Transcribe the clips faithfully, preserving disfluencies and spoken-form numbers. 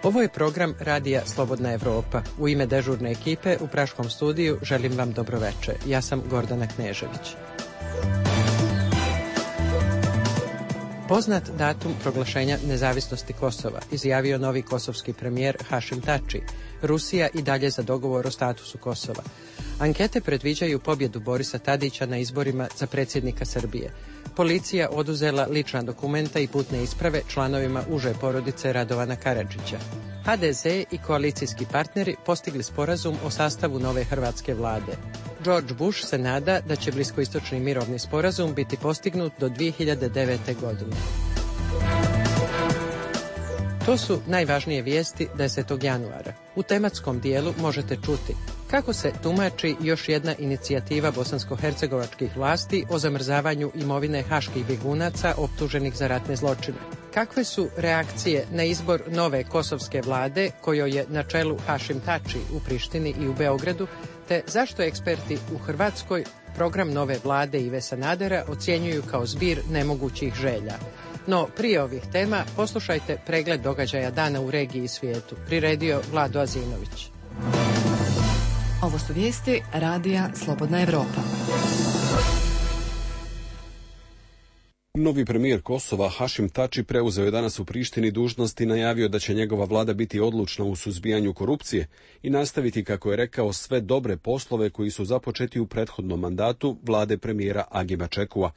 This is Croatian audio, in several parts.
Ovo je program Radija Slobodna Evropa. U ime dežurne ekipe u Praškom studiju želim vam dobroveče. Ja sam Gordana Knežević. Poznat datum proglašenja nezavisnosti Kosova izjavio novi kosovski premijer Hašim Tači. Rusija i dalje za dogovor o statusu Kosova. Ankete predviđaju pobjedu Borisa Tadića na izborima za predsjednika Srbije. Policija oduzela lična dokumenta i putne isprave članovima uže porodice Radovana Karadžića. ha de ze i koalicijski partneri postigli sporazum o sastavu nove hrvatske vlade. George Bush se nada da će bliskoistočni mirovni sporazum biti postignut do dvije hiljade devete. godine. To su najvažnije vijesti desetog januara. U tematskom dijelu možete čuti kako se tumači još jedna inicijativa bosansko-hercegovačkih vlasti o zamrzavanju imovine haških bjegunaca optuženih za ratne zločine. Kakve su reakcije na izbor nove kosovske vlade kojoj je na čelu Hašim Tači u Prištini i u Beogradu, te zašto eksperti u Hrvatskoj program nove vlade Ive Sanadera ocjenjuju kao zbir nemogućih želja. No, prije ovih tema poslušajte pregled događaja dana u regiji i svijetu. Priredio Vlado Azinović. Ovo su vijesti Radija Slobodna Evropa. Novi premijer Kosova Hašim Tači preuzeo je danas u Prištini dužnost i najavio da će njegova vlada biti odlučna u suzbijanju korupcije i nastaviti, kako je rekao, sve dobre poslove koji su započeti u prethodnom mandatu vlade premijera Agima Čekua.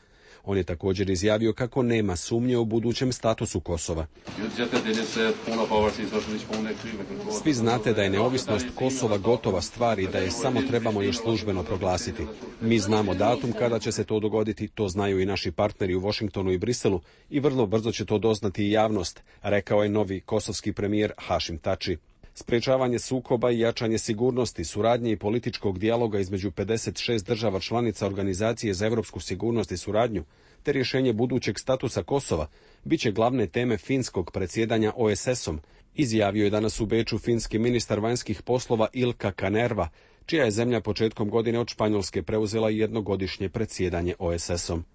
On je također izjavio kako nema sumnje o budućem statusu Kosova. Svi znate da je neovisnost Kosova gotova stvar i da je samo trebamo još službeno proglasiti. Mi znamo datum kada će se to dogoditi, to znaju i naši partneri u Washingtonu i Briselu i vrlo brzo će to doznati i javnost, rekao je novi kosovski premijer Hašim Tači. Sprečavanje sukoba i jačanje sigurnosti, suradnje i političkog dijaloga između pedeset šest država članica Organizacije za europsku sigurnost i suradnju, te rješenje budućeg statusa Kosova, bit će glavne teme finskog predsjedanja o es esom, izjavio je danas u Beču finski ministar vanjskih poslova Ilka Kanerva, čija je zemlja početkom godine od Španjolske preuzela jednogodišnje predsjedanje o es esom.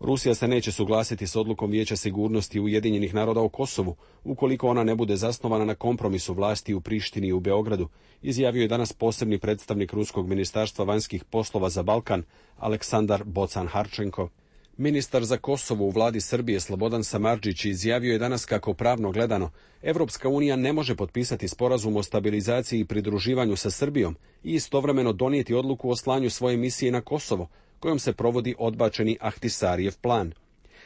Rusija se neće suglasiti s odlukom Vijeća sigurnosti Ujedinjenih naroda o Kosovu, ukoliko ona ne bude zasnovana na kompromisu vlasti u Prištini i u Beogradu, izjavio je danas posebni predstavnik Ruskog ministarstva vanjskih poslova za Balkan, Aleksandar Bocan-Harčenko. Ministar za Kosovo u vladi Srbije Slobodan Samardžić izjavio je danas kako pravno gledano Evropska unija ne može potpisati sporazum o stabilizaciji i pridruživanju sa Srbijom i istovremeno donijeti odluku o slanju svoje misije na Kosovo, kojom se provodi odbačeni Ahtisarijev plan.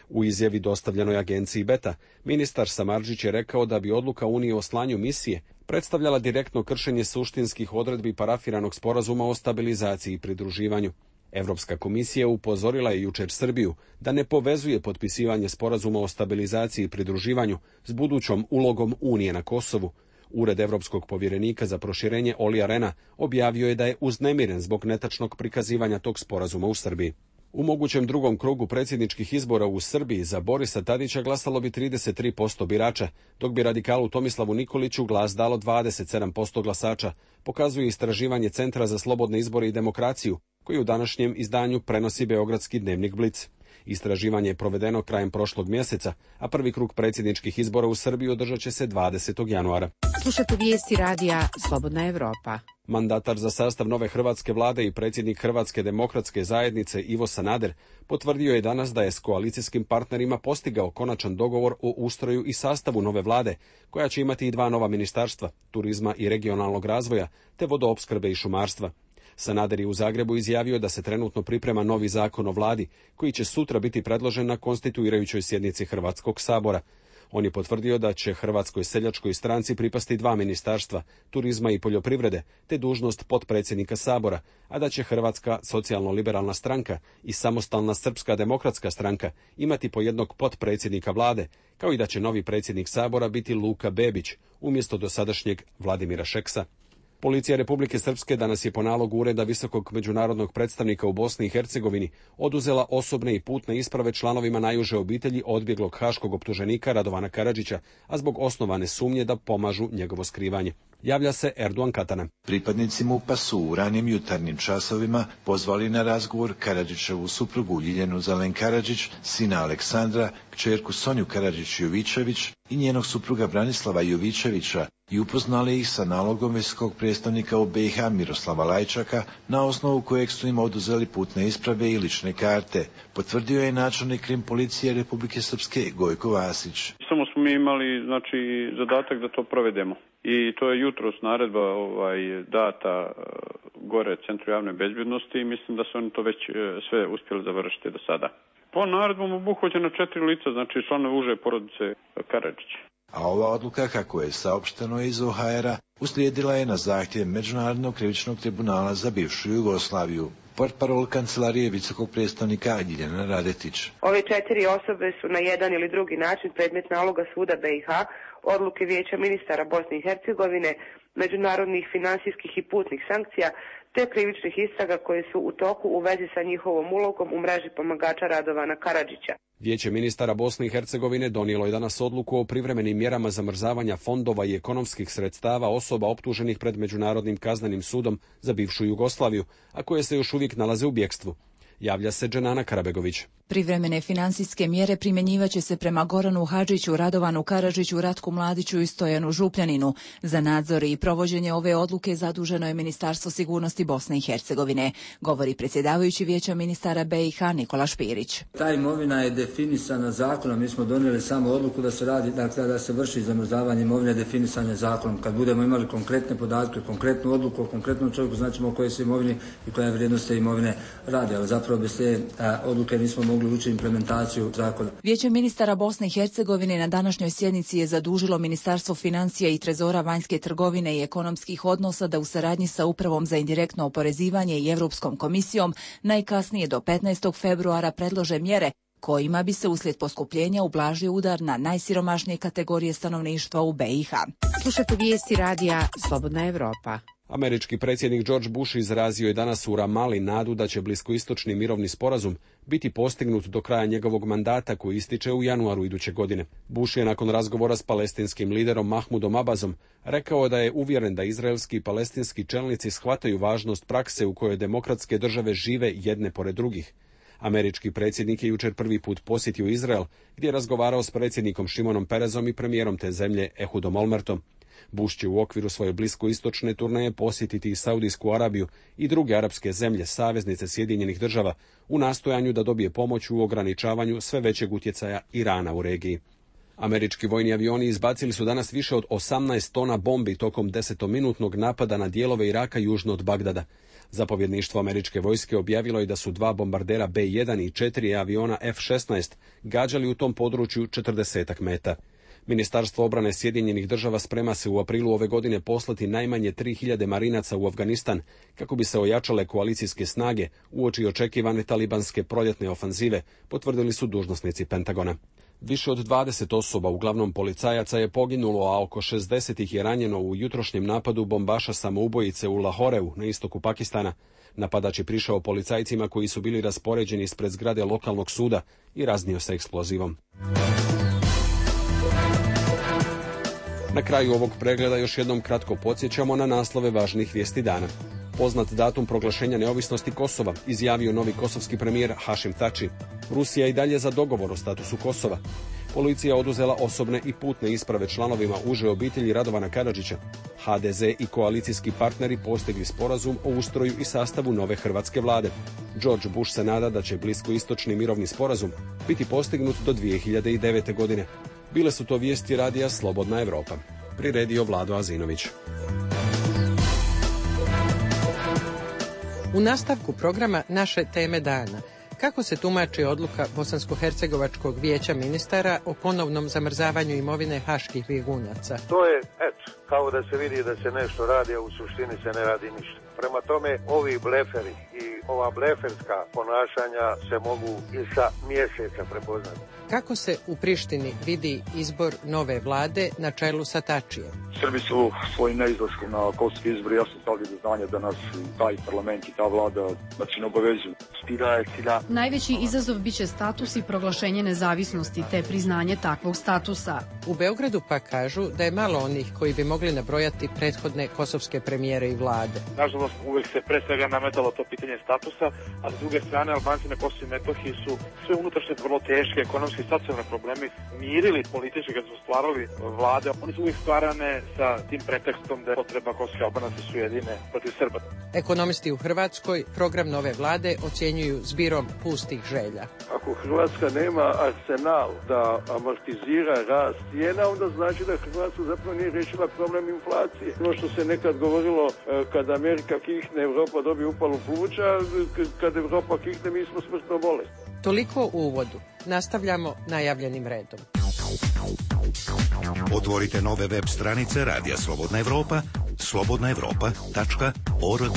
U izjavi dostavljenoj agenciji Beta, ministar Samardžić je rekao da bi odluka Unije o slanju misije predstavljala direktno kršenje suštinskih odredbi parafiranog sporazuma o stabilizaciji i pridruživanju. Evropska komisija upozorila je jučer Srbiju da ne povezuje potpisivanje sporazuma o stabilizaciji i pridruživanju s budućom ulogom Unije na Kosovu. Ured Evropskog povjerenika za proširenje Olija Rena objavio je da je uznemiren zbog netačnog prikazivanja tog sporazuma u Srbiji. U mogućem drugom krugu predsjedničkih izbora u Srbiji za Borisa Tadića glasalo bi trideset tri posto birača, dok bi radikalu Tomislavu Nikoliću glas dalo dvadeset sedam posto glasača, pokazuje istraživanje Centra za slobodne izbore i demokraciju, koji u današnjem izdanju prenosi beogradski dnevnik Blic. Istraživanje je provedeno krajem prošlog mjeseca, a prvi krug predsjedničkih izbora u Srbiji održat će se dvadesetog januara. Slušate vijesti Radija Slobodna Evropa. Mandatar za sastav nove hrvatske vlade i predsjednik Hrvatske demokratske zajednice Ivo Sanader potvrdio je danas da je s koalicijskim partnerima postigao konačan dogovor o ustroju i sastavu nove vlade, koja će imati i dva nova ministarstva, turizma i regionalnog razvoja, te vodoopskrbe i šumarstva. Sanader je u Zagrebu izjavio da se trenutno priprema novi zakon o vladi, koji će sutra biti predložen na konstituirajućoj sjednici Hrvatskog sabora. On je potvrdio da će Hrvatskoj seljačkoj stranci pripasti dva ministarstva, turizma i poljoprivrede, te dužnost potpredsjednika sabora, a da će Hrvatska socijalno-liberalna stranka i samostalna Srpska demokratska stranka imati po jednog potpredsjednika vlade, kao i da će novi predsjednik sabora biti Luka Bebić, umjesto dosadašnjeg Vladimira Šeksa. Policija Republike Srpske danas je po nalogu Ureda visokog međunarodnog predstavnika u Bosni i Hercegovini oduzela osobne i putne isprave članovima najuže obitelji odbjeglog haškog optuženika Radovana Karadžića, a zbog osnovane sumnje da pomažu njegovo skrivanje. Javlja se Erdogan Katana. Pripadnici MUP-a su u ranim jutarnjim časovima pozvali na razgovor Karadžićevu suprugu Ljiljanu Zelen Karadžić, sina Aleksandra, kćerku Sonju Karadžić-Jovičević i njenog supruga Branislava Jovičevića i upoznali ih sa nalogom visokog predstavnika u B i H Miroslava Lajčaka, na osnovu kojeg su im oduzeli putne isprave i lične karte, potvrdio je načelnik krim policije Republike Srpske Gojko Vasić. Samo smo mi imali znači zadatak da to provedemo. I to je jutros naredba ovaj, data gore Centru javne bezbjednosti i mislim da su oni to već sve uspjeli završiti do sada. Po naredbom obuhvaćeno četiri lica, znači članovi uže porodice Karadžić. A ova odluka, kako je saopšteno iz O H R-a, uslijedila je na zahtjev Međunarodnog krivičnog tribunala za bivšu Jugoslaviju. Portparol kancelarije visokog predstavnika Ljiljana Radetić. Ove četiri osobe su na jedan ili drugi način predmet naloga suda B i H, odluke Vijeća ministara Bosne i Hercegovine, međunarodnih finansijskih i putnih sankcija, te krivičnih istraga koje su u toku u vezi sa njihovom ulogom u mreži pomagača Radovana Karadžića. Vijeće ministara Bosne i Hercegovine donijelo je danas odluku o privremenim mjerama zamrzavanja fondova i ekonomskih sredstava osoba optuženih pred Međunarodnim kaznenim sudom za bivšu Jugoslaviju, a koje se još uvijek nalaze u bjekstvu. Javlja se Dženana Karabegović. Privremene financijske mjere primjenjivaće se prema Goranu Hadžiću, Radovanu Karadžiću, Ratku Mladiću i Stojanu Župljaninu. Za nadzor i provođenje ove odluke zaduženo je Ministarstvo sigurnosti Bosne i Hercegovine, govori predsjedavajući Vijeća ministara B i H Nikola Špirić. Ta imovina je definisana zakonom, mi smo donijeli samo odluku da se radi, dakle da se vrši zamrzavanje imovine definisane zakonom. Kad budemo imali konkretne podatke, konkretnu odluku o konkretnom čovjeku, znaćemo o kojoj se imovini i koja je vrijednost te imovine radi, ali zapravo bez te a, odluke nismo mogli ući implementaciju zakona. Vijeće ministara Bosne i Hercegovine na današnjoj sjednici je zadužilo Ministarstvo financija i Trezora vanjske trgovine i ekonomskih odnosa da u saradnji sa Upravom za indirektno oporezivanje i Europskom komisijom najkasnije do petnaestog februara predlože mjere kojima bi se uslijed poskupljenja ublažio udar na najsiromašnije kategorije stanovništva u B i H. Slušajte vijesti radija Slobodna Evropa. Američki predsjednik George Bush izrazio je danas u Ramali nadu da će bliskoistočni mirovni sporazum biti postignut do kraja njegovog mandata koji ističe u januaru iduće godine. Bush je nakon razgovora s palestinskim liderom Mahmudom Abbazom rekao da je uvjeren da izraelski i palestinski čelnici shvataju važnost prakse u kojoj demokratske države žive jedne pored drugih. Američki predsjednik je jučer prvi put posjetio Izrael, gdje je razgovarao s predsjednikom Šimonom Perezom i premijerom te zemlje Ehudom Olmertom. Bush će u okviru svoje bliskoistočne turneje posjetiti i Saudijsku Arabiju i druge arapske zemlje, saveznice Sjedinjenih država, u nastojanju da dobije pomoć u ograničavanju sve većeg utjecaja Irana u regiji. Američki vojni avioni izbacili su danas više od osamnaest tona bombi tokom desetominutnog napada na dijelove Iraka južno od Bagdada. Zapovjedništvo američke vojske objavilo je da su dva bombardera B jedan i četiri aviona F šesnaest gađali u tom području četrdesetak meta. Ministarstvo obrane Sjedinjenih država sprema se u aprilu ove godine poslati najmanje tri hiljade marinaca u Afganistan kako bi se ojačale koalicijske snage uoči očekivane talibanske proljetne ofanzive, potvrdili su dužnosnici Pentagona. Više od dvadeset osoba, uglavnom policajaca, je poginulo, a oko šezdeset ih je ranjeno u jutrošnjem napadu bombaša samoubojice u Lahoreu na istoku Pakistana. Napadač je prišao policajcima koji su bili raspoređeni ispred zgrade lokalnog suda i raznio se eksplozivom. Na kraju ovog pregleda još jednom kratko podsjećamo na naslove važnih vijesti dana. Poznat datum proglašenja neovisnosti Kosova, izjavio novi kosovski premijer Hašim Tači. Rusija i dalje za dogovor o statusu Kosova. Policija oduzela osobne i putne isprave članovima uže obitelji Radovana Karadžića. H D Z i koalicijski partneri postigli sporazum o ustroju i sastavu nove hrvatske vlade. George Bush se nada da će bliskoistočni mirovni sporazum biti postignut do dvije hiljade devete. godine. Bile su to vijesti radija Slobodna Evropa. Priredio Vlado Azinović. U nastavku programa naše teme dana. Kako se tumači odluka Bosansko-hercegovačkog vijeća ministara o ponovnom zamrzavanju imovine haških bjegunaca? To je, eto, kao da se vidi da se nešto radi, a u suštini se ne radi ništa. Prema tome, ovi bleferi i ova bleferska ponašanja se mogu i sa mjeseca prepoznati. Kako se u Prištini vidi izbor nove vlade na čelu sa Tačijem? Srbi su svojim neizlaskom na kosovski izbor jasno stavili do znanja da nas taj parlament i ta vlada znači ne obavezuju. Najveći izazov biće status i proglašenje nezavisnosti te priznanje takvog statusa. U Beogradu pa kažu da je malo onih koji bi mogli nabrojati prethodne kosovske premijere i vlade. Nažalost, uvek se pre svega nametalo to pitanje statusa, a s druge strane Albanci na Kosovu i Metohiji su sve unutrašnje vrlo teške ekonomske i socijalne probleme mirili politički kad su stvarali vlade. Oni su uvijek stvarane sa tim pretekstom da je potreba kosovske Albanaca su jedine protiv Srba. Ekonomisti u Hrvatskoj program nove vlade ocjenjuju zbirom pustih želja. Ako Hrvatska nema arsenal da amortizira rast cijena, onda znači da Hrvatska zapravo nije rešila problem inflacije. Ono što se nekad govorilo kad Amerika kihne, Evropa dobije upalu pluća, kad Evropa kihne, mi smo smrtno bolesni. Toliko u uvodu. Nastavljamo najavljenim redom. Otvorite nove web stranice Radija Slobodna Evropa, slobodna evropa tačka org.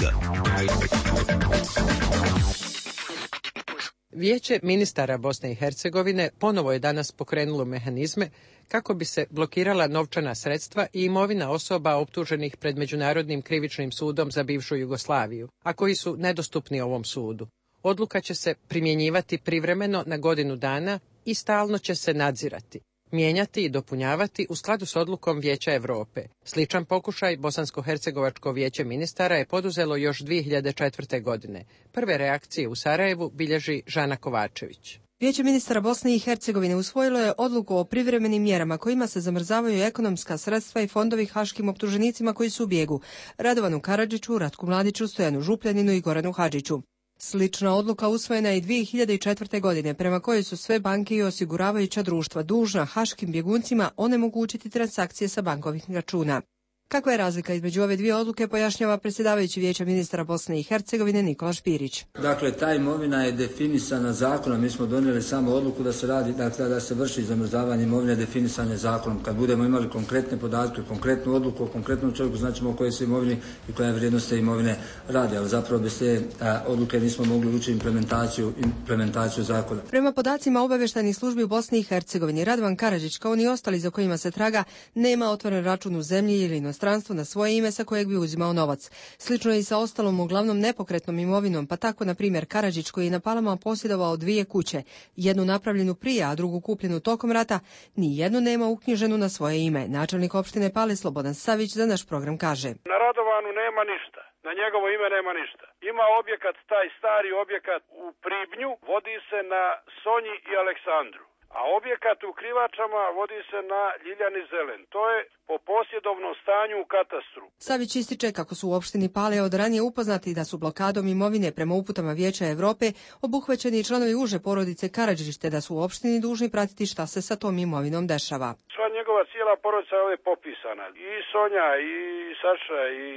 Vijeće ministara Bosne i Hercegovine ponovo je danas pokrenulo mehanizme kako bi se blokirala novčana sredstva i imovina osoba optuženih pred Međunarodnim krivičnim sudom za bivšu Jugoslaviju, a koji su nedostupni ovom sudu. Odluka će se primjenjivati privremeno na godinu dana i stalno će se nadzirati, mijenjati i dopunjavati u skladu s odlukom Vijeća Europe. Sličan pokušaj Bosansko-hercegovačko vijeće ministara je poduzelo još dvije hiljade četvrte. godine. Prve reakcije u Sarajevu bilježi Žana Kovačević. Vijeće ministara Bosne i Hercegovine usvojilo je odluku o privremenim mjerama kojima se zamrzavaju ekonomska sredstva i fondovi haškim optuženicima koji su u bijegu: Radovanu Karadžiću, Ratku Mladiću, Stojanu Župljaninu i Goranu Hadžiću. Slična odluka usvojena je i dvije hiljade četvrte. godine, prema kojoj su sve banke i osiguravajuća društva dužna haškim bjeguncima onemogućiti transakcije sa bankovnih računa. Kakva je razlika između ove dvije odluke, pojašnjava predsjedavajući Vijeća ministara Bosne i Hercegovine Nikola Špirić. Dakle, ta imovina je definisana zakonom. Mi smo donijeli samo odluku da se radi, dakle, da se vrši zamrzavanje imovine definisane zakonom. Kad budemo imali konkretne podatke, konkretnu odluku o konkretnom čovjeku, znaćemo o kojoj se imovini i koja je vrijednost te imovine radi. Ali zapravo bez te a, odluke nismo mogli ući implementaciju, implementaciju zakona. Prema podacima obavještajnih službi u Bosni i Hercegovini, Radovan Karadžić, kao ni ostali za kojima se traga, nema otvoren račun u zemlji ili inostranstvu na svoje ime sa kojeg bi uzimao novac. Slično je i sa ostalom uglavnom nepokretnom imovinom, pa tako na primjer Karadžić, koji je na Palama posjedovao dvije kuće, jednu napravljenu prije, a drugu kupljenu tokom rata, ni jednu nema uknjiženu na svoje ime. Načelnik opštine Pale Slobodan Savić za naš program kaže: Na Radovanu nema ništa, na njegovo ime nema ništa. Ima objekat, taj stari objekat u Pribnju, vodi se na Sonji i Aleksandru. A objekat u Krivačama vodi se na Ljiljani Zelen. To je po posjedovnom stanju u katastru. Savić ističe kako su u opštini Pale od ranije upoznati da su blokadom imovine prema uputama Vijeća Europe obuhvaćeni i članovi uže porodice Karadžić, te da su u opštini dužni pratiti šta se sa tom imovinom dešava. Sva njegova cijela porodica je ovdje popisana. I Sonja, i Saša, i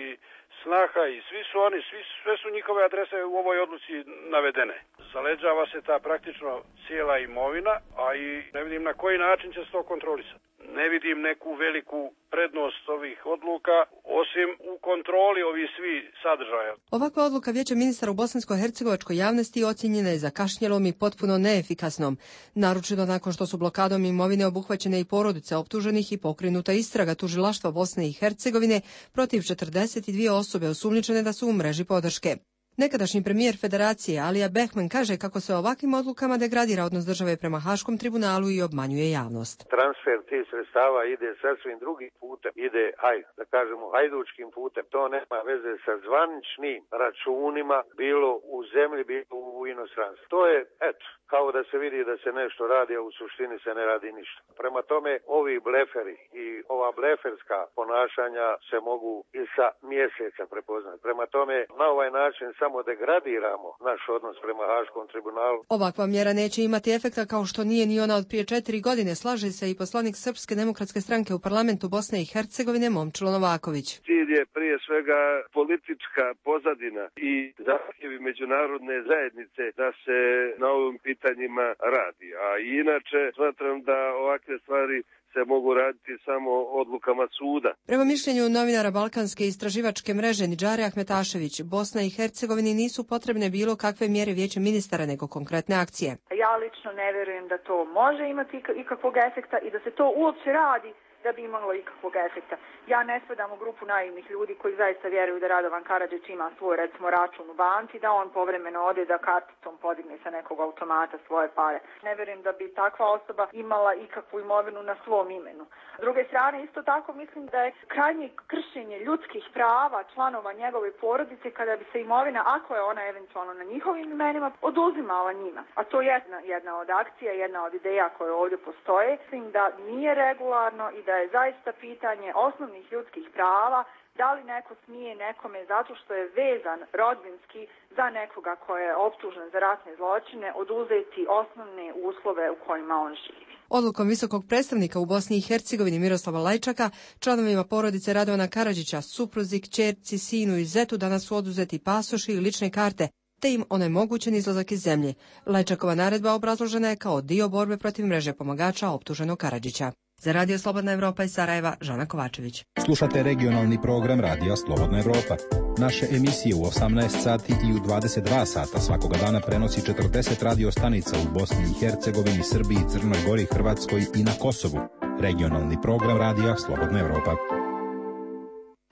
Snaha, i svi su oni, svi, sve su njihove adrese u ovoj odluci navedene. Zaleđava se ta praktično cijela imovina, a i ne vidim na koji način će se to kontrolisati. Ne vidim neku veliku prednost ovih odluka, osim u kontroli ovih svi sadržaja. Ovakva odluka Vijeća ministara u bosansko-hercegovačkoj javnosti ocjenjena je zakašnjelom i potpuno neefikasnom. Naročito nakon što su blokadom imovine obuhvaćene i porodice optuženih i pokrenuta istraga tužilaštva Bosne i Hercegovine protiv četrdeset dvije osobe osumnjičene da su u mreži podrške. Nekadašnji premijer Federacije Alija Behman kaže kako se ovakvim odlukama degradira odnos države prema Haškom tribunalu i obmanjuje javnost. Transfer tih sredstava ide sasvim drugim putem, ide, hajde, da kažemo, hajdučkim putem. To nema veze sa zvaničnim računima, bilo u zemlji, bilo u inostranstvu. To je, eto, kao da se vidi da se nešto radi, a u suštini se ne radi ništa. Prema tome, ovi bleferi i ova bleferska ponašanja se mogu i sa mjeseca prepoznati. Prema tome, na ovaj način samo degradiramo naš odnos prema Haškom tribunalu. Ovakva mjera neće imati efekta kao što nije ni ona od prije četiri godine, slaže se i poslanik Srpske demokratske stranke u parlamentu Bosne i Hercegovine Momčilo Novaković. Cilj je prije svega politička pozadina i zahtjevi međunarodne zajednice da se na ovim pitanjima radi. A inače smatram da ovakve stvari se mogu raditi samo odlukama suda. Prema mišljenju novinara Balkanske istraživačke mreže Nidžare Ahmetašević, Bosna i Hercegovini nisu potrebne bilo kakve mjere Vijeća ministara nego konkretne akcije. Ja Ja lično ne vjerujem da to može imati ikakvog efekta i da se to uopće radi da bi imalo ikakvog efekta. Ja ne spadam u grupu naivnih ljudi koji zaista vjeruju da Radovan Karadžić ima svoj, recimo, račun u banci, da on povremeno ode da karticom podigne sa nekog automata svoje pare. Ne vjerujem da bi takva osoba imala ikakvu imovinu na svom imenu. S druge strane, isto tako mislim da je krajnje kršenje ljudskih prava članova njegove porodice kada bi se imovina, ako je ona eventualno na njihovim imenima, oduzimala njima. A to je jedna, jedna od akcija, jedna od ideja koje ovdje postoje. Mislim da nije regularno i da je zaista pitanje osnovnih ljudskih prava, da li neko smije nekome zato što je vezan rodbinski za nekoga ko je optužen za ratne zločine oduzeti osnovne uslove u kojima on živi. Odlukom visokog predstavnika u Bosni i Hercegovini Miroslava Lajčaka, članovima porodice Radovana Karadžića, supruzi, kćerci, sinu i zetu danas su oduzeti pasoši i lične karte, te im onemogućen izlazak iz zemlje. Lajčakova naredba obrazložena je kao dio borbe protiv mreže pomagača optuženog Karadžića. Za Radio Slobodna Evropa iz Sarajeva, Žana Kovačević. Slušate regionalni program Radija Slobodna Evropa. Naše emisije u osamnaest sati i u dvadeset dva sata svakoga dana prenosi četrdeset radio stanica u Bosni i Hercegovini, Srbiji, Crnoj Gori, Hrvatskoj i na Kosovu. Regionalni program Radija Slobodna Evropa.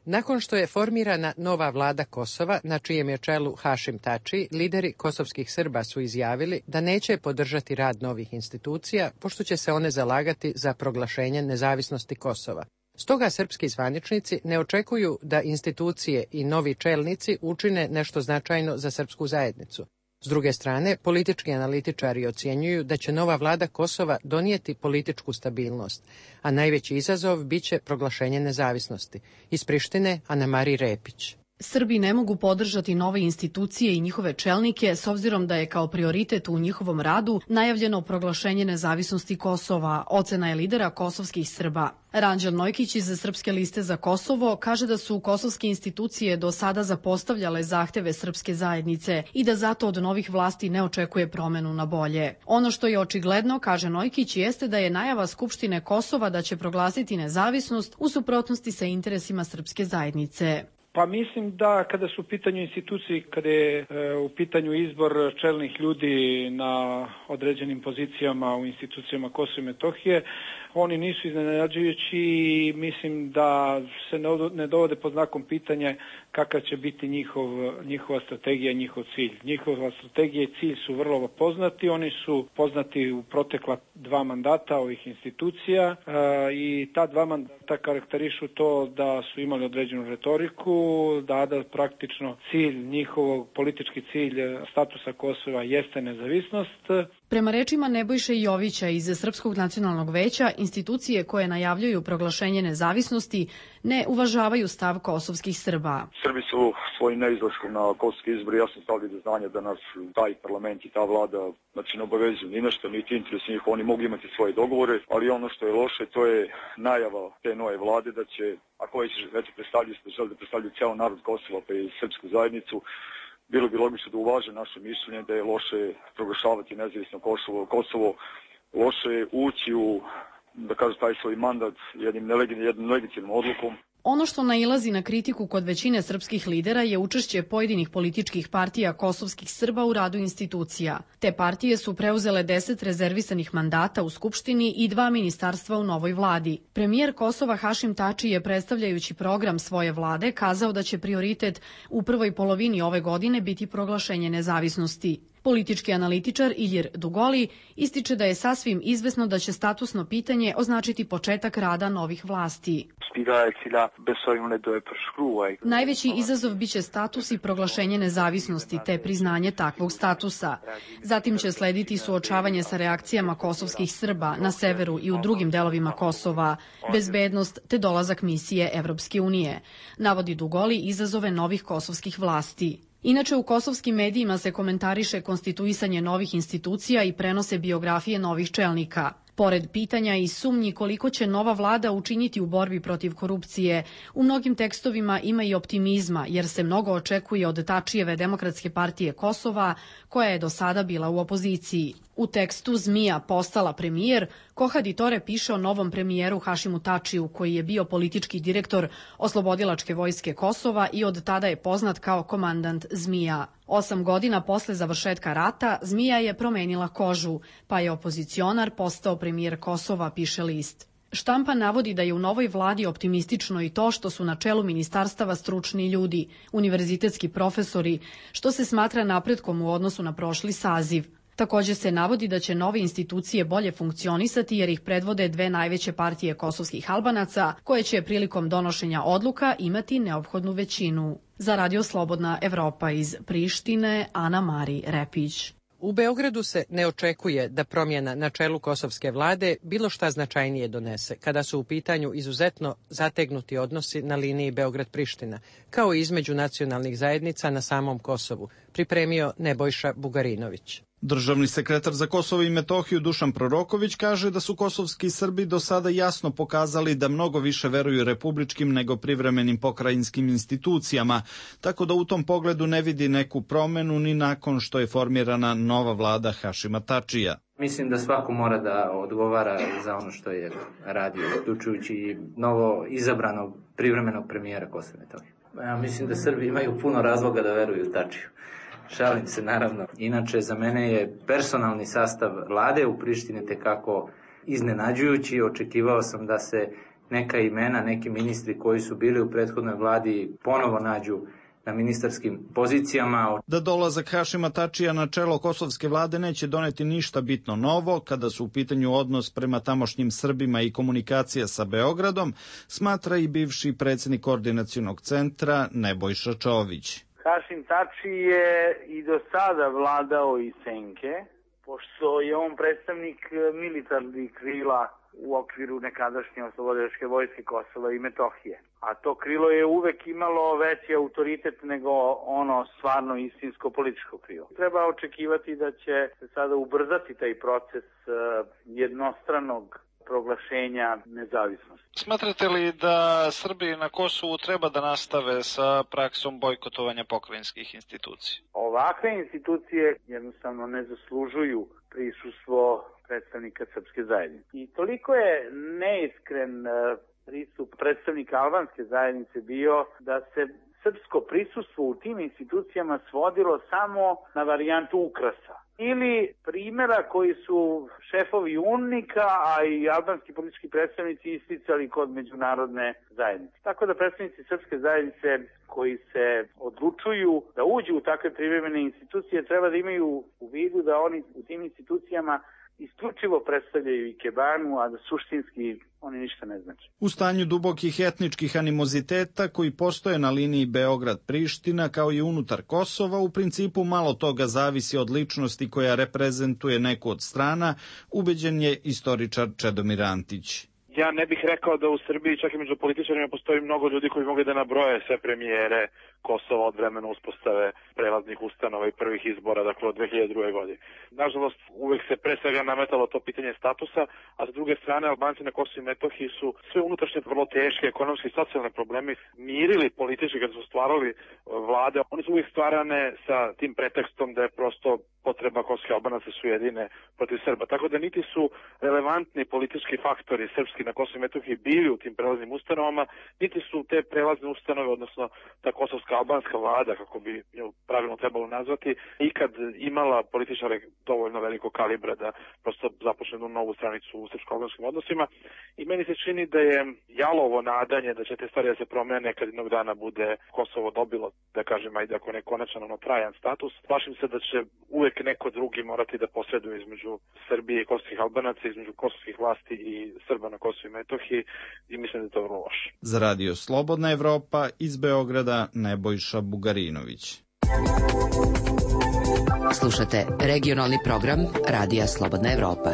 Nakon što je formirana nova vlada Kosova, na čijem je čelu Hašim Tači, lideri kosovskih Srba su izjavili da neće podržati rad novih institucija, pošto će se one zalagati za proglašenje nezavisnosti Kosova. Stoga srpski zvaničnici ne očekuju da institucije i novi čelnici učine nešto značajno za srpsku zajednicu. S druge strane, politički analitičari ocjenjuju da će nova vlada Kosova donijeti političku stabilnost, a najveći izazov biće proglašenje nezavisnosti. Iz Prištine, Ana-Mari Repić. Srbi ne mogu podržati nove institucije i njihove čelnike s obzirom da je kao prioritet u njihovom radu najavljeno proglašenje nezavisnosti Kosova, ocena je lidera kosovskih Srba. Ranđel Nojkić iz Srpske liste za Kosovo kaže da su kosovske institucije do sada zapostavljale zahteve srpske zajednice i da zato od novih vlasti ne očekuje promenu na bolje. Ono što je očigledno, kaže Nojkić, jeste da je najava Skupštine Kosova da će proglasiti nezavisnost u suprotnosti sa interesima srpske zajednice. Pa mislim da kada su u pitanju institucije, kada je e, u pitanju izbor čelnih ljudi na određenim pozicijama u institucijama Kosova i Metohije, oni nisu iznenađujući i mislim da se ne dovode pod znakom pitanja kakav će biti njihov, njihova strategija, njihov cilj. Njihova strategija i cilj su vrlo poznati, oni su poznati u protekla dva mandata ovih institucija e, i ta dva mandata karakterišu to da su imali određenu retoriku, da, da praktično cilj njihovog, politički cilj statusa Kosova jeste nezavisnost. Prema rečima Nebojše Jovića iz Srpskog nacionalnog veća, institucije koje najavljuju proglašenje nezavisnosti ne uvažavaju stav kosovskih Srba. Srbi su svojim neizlaskom na kosovski izbor jasno stavili do znanja da nas taj parlament i ta vlada znači ne obavezuju ni nešto, niti interes njih, oni mogu imati svoje dogovore, ali ono što je loše to je najava te nove vlade da će, ako već već predstavljaju, da žele da predstavljaju cijel narod Kosova pa i srpsku zajednicu, bilo bi logično da uvaže naše mišljenje da je loše proglašavati nezavisno Kosovo, Kosovo loše ući u, da kažem, taj svoj mandat jednim nelegitimnom odlukom. Ono što nailazi na kritiku kod većine srpskih lidera je učešće pojedinih političkih partija kosovskih Srba u radu institucija. Te partije su preuzele deset rezervisanih mandata u Skupštini i dva ministarstva u novoj vladi. Premijer Kosova Hašim Tači je, predstavljajući program svoje vlade, kazao da će prioritet u prvoj polovini ove godine biti proglašenje nezavisnosti. Politički analitičar Ilir Dugoli ističe da je sasvim izvesno da će statusno pitanje označiti početak rada novih vlasti. Najveći izazov biće status i proglašenje nezavisnosti te priznanje takvog statusa. Zatim će slediti suočavanje sa reakcijama kosovskih Srba na severu i u drugim delovima Kosova, bezbednost te dolazak misije Evropske unije. Navodi Dugoli izazove novih kosovskih vlasti. Inače, u kosovskim medijima se komentariše konstituisanje novih institucija i prenose biografije novih čelnika. Pored pitanja i sumnji koliko će nova vlada učiniti u borbi protiv korupcije, u mnogim tekstovima ima i optimizma, jer se mnogo očekuje od Tačijeve Demokratske partije Kosova, koja je do sada bila u opoziciji. U tekstu Zmija postala premijer, Kohaditore piše o novom premijeru Hašimu Tačiju, koji je bio politički direktor Oslobodilačke vojske Kosova i od tada je poznat kao komandant Zmija. Osam godina posle završetka rata, Zmija je promenila kožu, pa je opozicionar postao premijer Kosova, piše list. Štampa navodi da je u novoj vladi optimistično i to što su na čelu ministarstava stručni ljudi, univerzitetski profesori, što se smatra napretkom u odnosu na prošli saziv. Također se navodi da će nove institucije bolje funkcionisati jer ih predvode dve najveće partije kosovskih Albanaca, koje će prilikom donošenja odluka imati neophodnu većinu. Za Radio Slobodna Evropa iz Prištine, Ana Mari Repić. U Beogradu se ne očekuje da promjena na čelu kosovske vlade bilo šta značajnije donese, kada su u pitanju izuzetno zategnuti odnosi na liniji Beograd-Priština, kao i između nacionalnih zajednica na samom Kosovu, pripremio Nebojša Bugarinović. Državni sekretar za Kosovo i Metohiju Dušan Proroković kaže da su kosovski Srbi do sada jasno pokazali da mnogo više veruju republičkim nego privremenim pokrajinskim institucijama, tako da u tom pogledu ne vidi neku promenu ni nakon što je formirana nova vlada Hašima Tačija. Mislim da svako mora da odgovara za ono što je radio, uključujući i novo izabranog privremenog premijera Kosova i Metohije. Ja mislim da Srbi imaju puno razloga da veruju Tačiju. Šalim se, naravno. Inače, za mene je personalni sastav vlade u Prištini tekako iznenađujući. Očekivao sam da se neka imena, neki ministri koji su bili u prethodnoj vladi ponovo nađu na ministarskim pozicijama. Da dolazak Hašima Tačija na čelo kosovske vlade neće doneti ništa bitno novo, kada su u pitanju odnos prema tamošnjim Srbima i komunikacija sa Beogradom, smatra i bivši predsjednik koordinacionog centra Nebojša Čović. Hašim Tači je i do sada vladao iz senke, pošto je on predstavnik militarnih krila u okviru nekadašnje oslobodilačke vojske Kosova i Metohije. A to krilo je uvek imalo veći autoritet nego ono stvarno istinsko političko krilo. Treba očekivati da će se sada ubrzati taj proces jednostranog proglašenja nezavisnosti. Smatrate li da Srbi na Kosovu treba da nastave sa praksom bojkotovanja pokrajinskih institucija? Ovakve institucije jednostavno ne zaslužuju prisustvo predstavnika srpske zajednice. I toliko je neiskren pristup predstavnika albanske zajednice bio da se srpsko prisustvo u tim institucijama svodilo samo na varijantu ukrasa. Ili primjera koji su šefovi UNMIK-a, a i albanski politički predstavnici isticali kod međunarodne zajednice. Tako da predstavnici srpske zajednice koji se odlučuju da uđu u takve privremene institucije treba da imaju u vidu da oni u tim institucijama isključivo predstavljaju ikebanu, a da suštinski oni ništa ne znači. U stanju dubokih etničkih animoziteta koji postoje na liniji Beograd-Priština kao i unutar Kosova, u principu malo toga zavisi od ličnosti koja reprezentuje neku od strana, ubeđen je istoričar Čedomir Antić. Ja ne bih rekao da u Srbiji, čak i među političarima, postoji mnogo ljudi koji mogu da nabroje sve premijere Kosova od vremena uspostave prelaznih ustanova i prvih izbora, dakle od dve hiljade druge. godine. Nažalost, uvek se pre svega nametalo to pitanje statusa, a s druge strane Albanci na Kosovu i Metohiji su sve unutrašnje vrlo teške ekonomske i socijalne problemi mirili politički kad su stvarali vlade. Oni su uvijek stvarane sa tim pretekstom da je prosto potreba kosovskih Albanaca su jedine protiv Srba. Tako da niti su relevantni politički faktori srpski na Kosovu i Metohiji bili u tim prelaznim ustanovama, niti su te prelazne ustanove, odnosno ta kosovska albanska vlada, kako bi je pravilno trebalo nazvati, ikad imala političare dovoljno velikog kalibra da prosto započne jednu novu stranicu u srpsko-albanskim odnosima. I meni se čini da je jalovo nadanje da će te stvari da se promene kad jednog dana bude Kosovo dobilo, da kažem, ajde ako ne konačan, ono trajan status. Plašim se da će uvek neko drugi morati da posreduje između Srbije i kosovskih Albanaca, između kosovskih vlasti i Srba na Kosovu i Metohiji, i mislim da je to vrlo loše. Za Radio Slobodna Evropa iz Beograda Nebojša Bugarinović. Slušate regionalni program Radija Slobodna Evropa.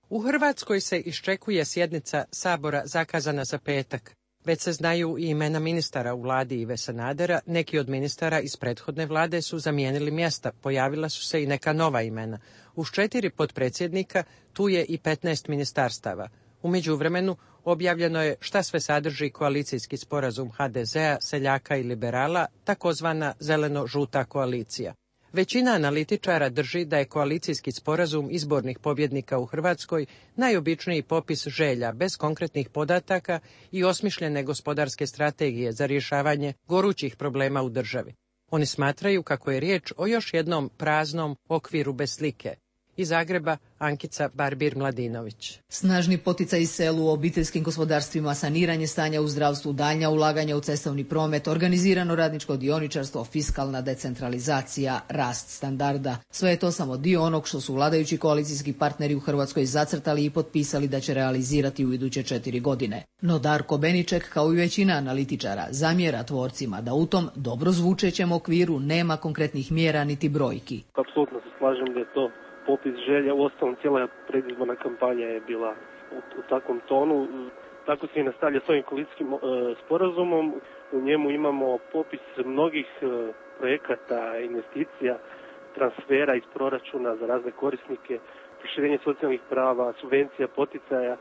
U Hrvatskoj se iščekuje sjednica Sabora zakazana za petak. Već se znaju i imena ministara u vladi Ive Sanadera, neki od ministara iz prethodne vlade su zamijenili mjesta, pojavila su se i neka nova imena. Uz četiri potpredsjednika tu je i petnaest ministarstava. U međuvremenu objavljeno je šta sve sadrži koalicijski sporazum ha de zea, seljaka i liberala, takozvana zeleno-žuta koalicija. Većina analitičara drži da je koalicijski sporazum izbornih pobjednika u Hrvatskoj najobičniji popis želja bez konkretnih podataka i osmišljene gospodarske strategije za rješavanje gorućih problema u državi. Oni smatraju kako je riječ o još jednom praznom okviru bez slike. Iz Zagreba, Ankica Barbir-Mladinović. Snažni poticaj selu u obiteljskim gospodarstvima, saniranje stanja u zdravstvu, daljnja ulaganja u cestovni promet, organizirano radničko dioničarstvo, fiskalna decentralizacija, rast standarda. Sve je to samo dio onog što su vladajući koalicijski partneri u Hrvatskoj zacrtali i potpisali da će realizirati u iduće četiri godine. No Darko Beniček, kao i većina analitičara, zamjera tvorcima da u tom dobro zvučećem okviru nema konkretnih mjera niti brojki. Apsolutno se slažem da je to popis želja, uostalom cijela predizborna kampanja je bila u, u takvom tonu. Tako se i nastavlja s ovim koalicijskim e, sporazumom. U njemu imamo popis mnogih e, projekata, investicija, transfera iz proračuna za razne korisnike, proširenje socijalnih prava, subvencija, poticaja,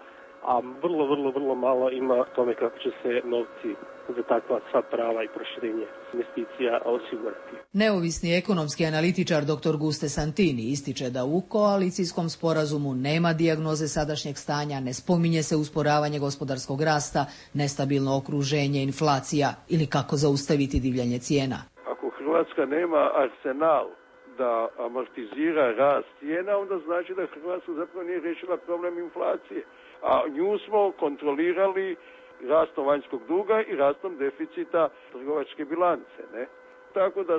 a vrlo, vrlo, vrlo malo ima tome kako će se novci za takva sva prava i proširenje investicija osigurati. Neovisni ekonomski analitičar dr. Guste Santini ističe da u koalicijskom sporazumu nema dijagnoze sadašnjeg stanja, ne spominje se usporavanje gospodarskog rasta, nestabilno okruženje, inflacija ili kako zaustaviti divljanje cijena. Ako Hrvatska nema arsenal da amortizira rast cijena, onda znači da Hrvatska zapravo nije riješila problem inflacije. A nju smo kontrolirali rastom vanjskog duga i rastom deficita trgovačke bilance, ne? Tako da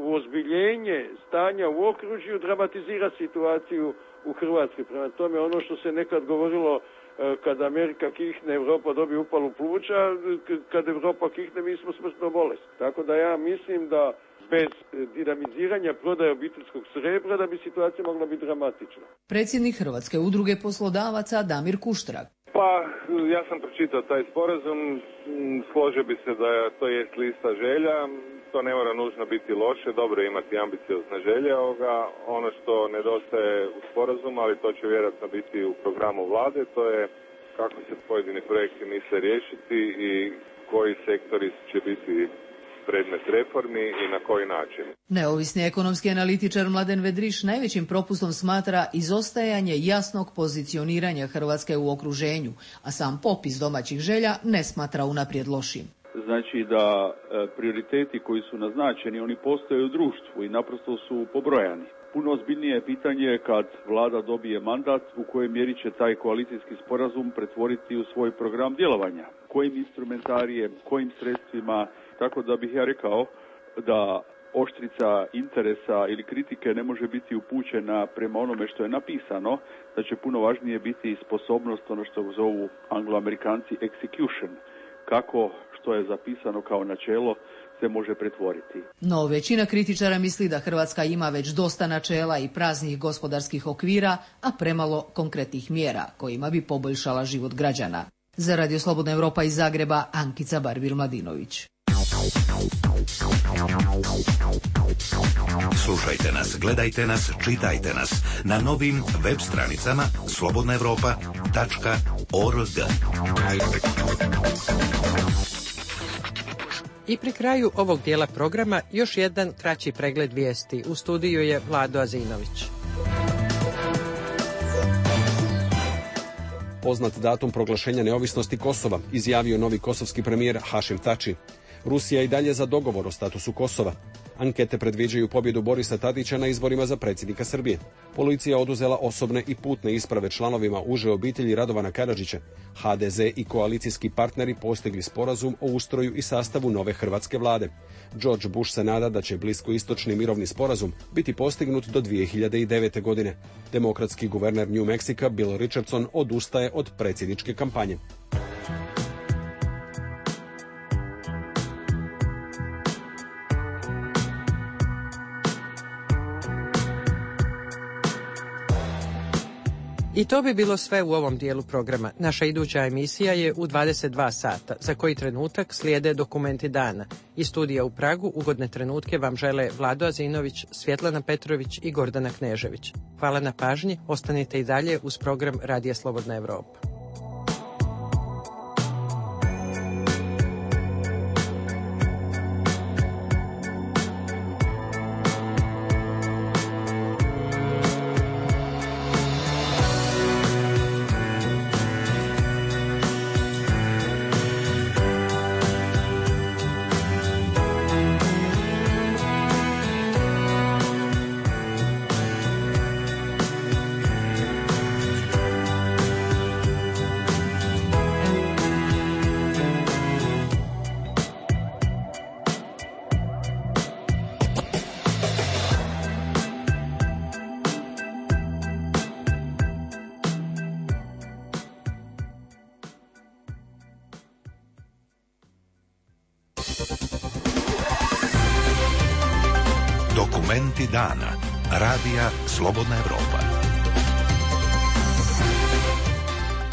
uozbiljenje stanja u okružju dramatizira situaciju u Hrvatskoj. Prema tome, ono što se nekad govorilo kad Amerika kihne, Europa dobije upalu pluća, kad Europa kihne, mi smo smrtno bolesni. Tako da ja mislim da bez dinamiziranja prodaje obiteljskog srebra da bi situacija mogla biti dramatična. Predsjednik Hrvatske udruge poslodavaca Damir Kuštrak. Pa, ja sam pročitao taj sporazum, složio bi se da to jest lista želja, to ne mora nužno biti loše, dobro je imati ambiciozne želje ovoga. Ono što nedostaje u sporazumu, ali to će vjerojatno biti u programu vlade, to je kako se pojedini projekti misle riješiti i koji sektori će biti predmet reformi i na koji način. Neovisni ekonomski analitičar Mladen Vedriš najvećim propustom smatra izostajanje jasnog pozicioniranja Hrvatske u okruženju, a sam popis domaćih želja ne smatra unaprijed lošim. Znači da e, prioriteti koji su naznačeni, oni postoje u društvu i naprosto su pobrojani. Puno ozbiljnije je pitanje kad vlada dobije mandat u kojoj mjeri će taj koalicijski sporazum pretvoriti u svoj program djelovanja. Kojim instrumentarijem, kojim sredstvima, tako da bih ja rekao da oštrica interesa ili kritike ne može biti upućena prema onome što je napisano, da će puno važnije biti sposobnost, ono što zovu angloamerikanci execution, kako što je zapisano kao načelo se može pretvoriti. No, većina kritičara misli da Hrvatska ima već dosta načela i praznih gospodarskih okvira, a premalo konkretnih mjera kojima bi poboljšala život građana. Za Radio Slobodna Europa iz Zagreba, Ankica Barbir-Mladinović. Slušajte nas, gledajte nas, čitajte nas na novim web stranicama slobodna europa tačka org. I pri kraju ovog dijela programa još jedan kraći pregled vijesti. U studiju je Vlado Azinović. Poznat datum proglašenja neovisnosti Kosova, izjavio novi kosovski premijer Hašim Tači. Rusija i dalje za dogovor o statusu Kosova. Ankete predviđaju pobjedu Borisa Tadića na izborima za predsjednika Srbije. Policija oduzela osobne i putne isprave članovima uže obitelji Radovana Karadžića. ha de ze i koalicijski partneri postigli sporazum o ustroju i sastavu nove hrvatske vlade. George Bush se nada da će bliskoistočni mirovni sporazum biti postignut do dvije hiljade devete. godine. Demokratski guverner New Mexica Bill Richardson odustaje od predsjedničke kampanje. I to bi bilo sve u ovom dijelu programa. Naša iduća emisija je u dvadeset dva sata, za koji trenutak slijede dokumenti dana. Iz studija u Pragu ugodne trenutke vam žele Vlado Azinović, Svjetlana Petrović i Gordana Knežević. Hvala na pažnji, ostanite i dalje uz program Radija Slobodna Europa. Dokumenti dana. Radija Slobodna Evropa.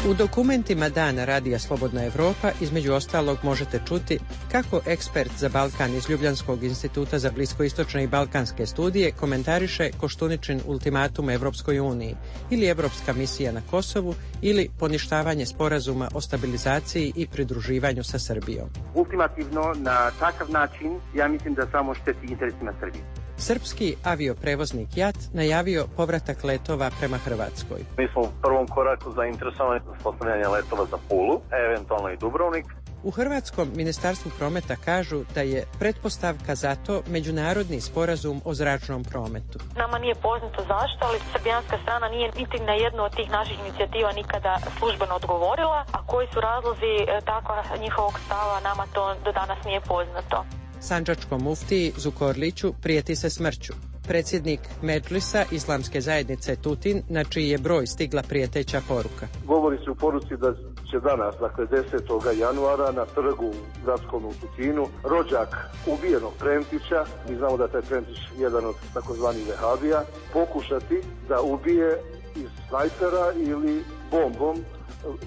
U dokumentima dana Radija Slobodna Evropa između ostalog možete čuti kako ekspert za Balkan iz Ljubljanskog instituta za bliskoistočne i balkanske studije komentariše Koštuničin ultimatum Evropskoj uniji ili Evropska misija na Kosovu ili poništavanje sporazuma o stabilizaciji i pridruživanju sa Srbijom. Ultimativno na takav način ja mislim da samo šteti interesima Srbije. Srpski avioprevoznik J A T najavio povratak letova prema Hrvatskoj. Mi smo u prvom koraku zainteresovani za postavljanje letova za Pulu, eventualno i Dubrovnik. U Hrvatskom ministarstvu prometa kažu da je pretpostavka za to međunarodni sporazum o zračnom prometu. Nama nije poznato zašto, ali srbijanska strana nije niti na jednu od tih naših inicijativa nikada službeno odgovorila, a koji su razlozi takva njihovog stava, nama to do danas nije poznato. Sandžačkom muftiji Zukorliću prijeti se smrću. Predsjednik Medžlisa Islamske zajednice Tutin, na čiji je broj stigla prijeteća poruka. Govori se u poruci da će danas, dakle desetog januara, na trgu gradskom u Tutinu, rođak ubijenog Prentića, mi znamo da je taj Prentić jedan od takozvanih vehabija, pokušati da ubije iz snajpera ili bombom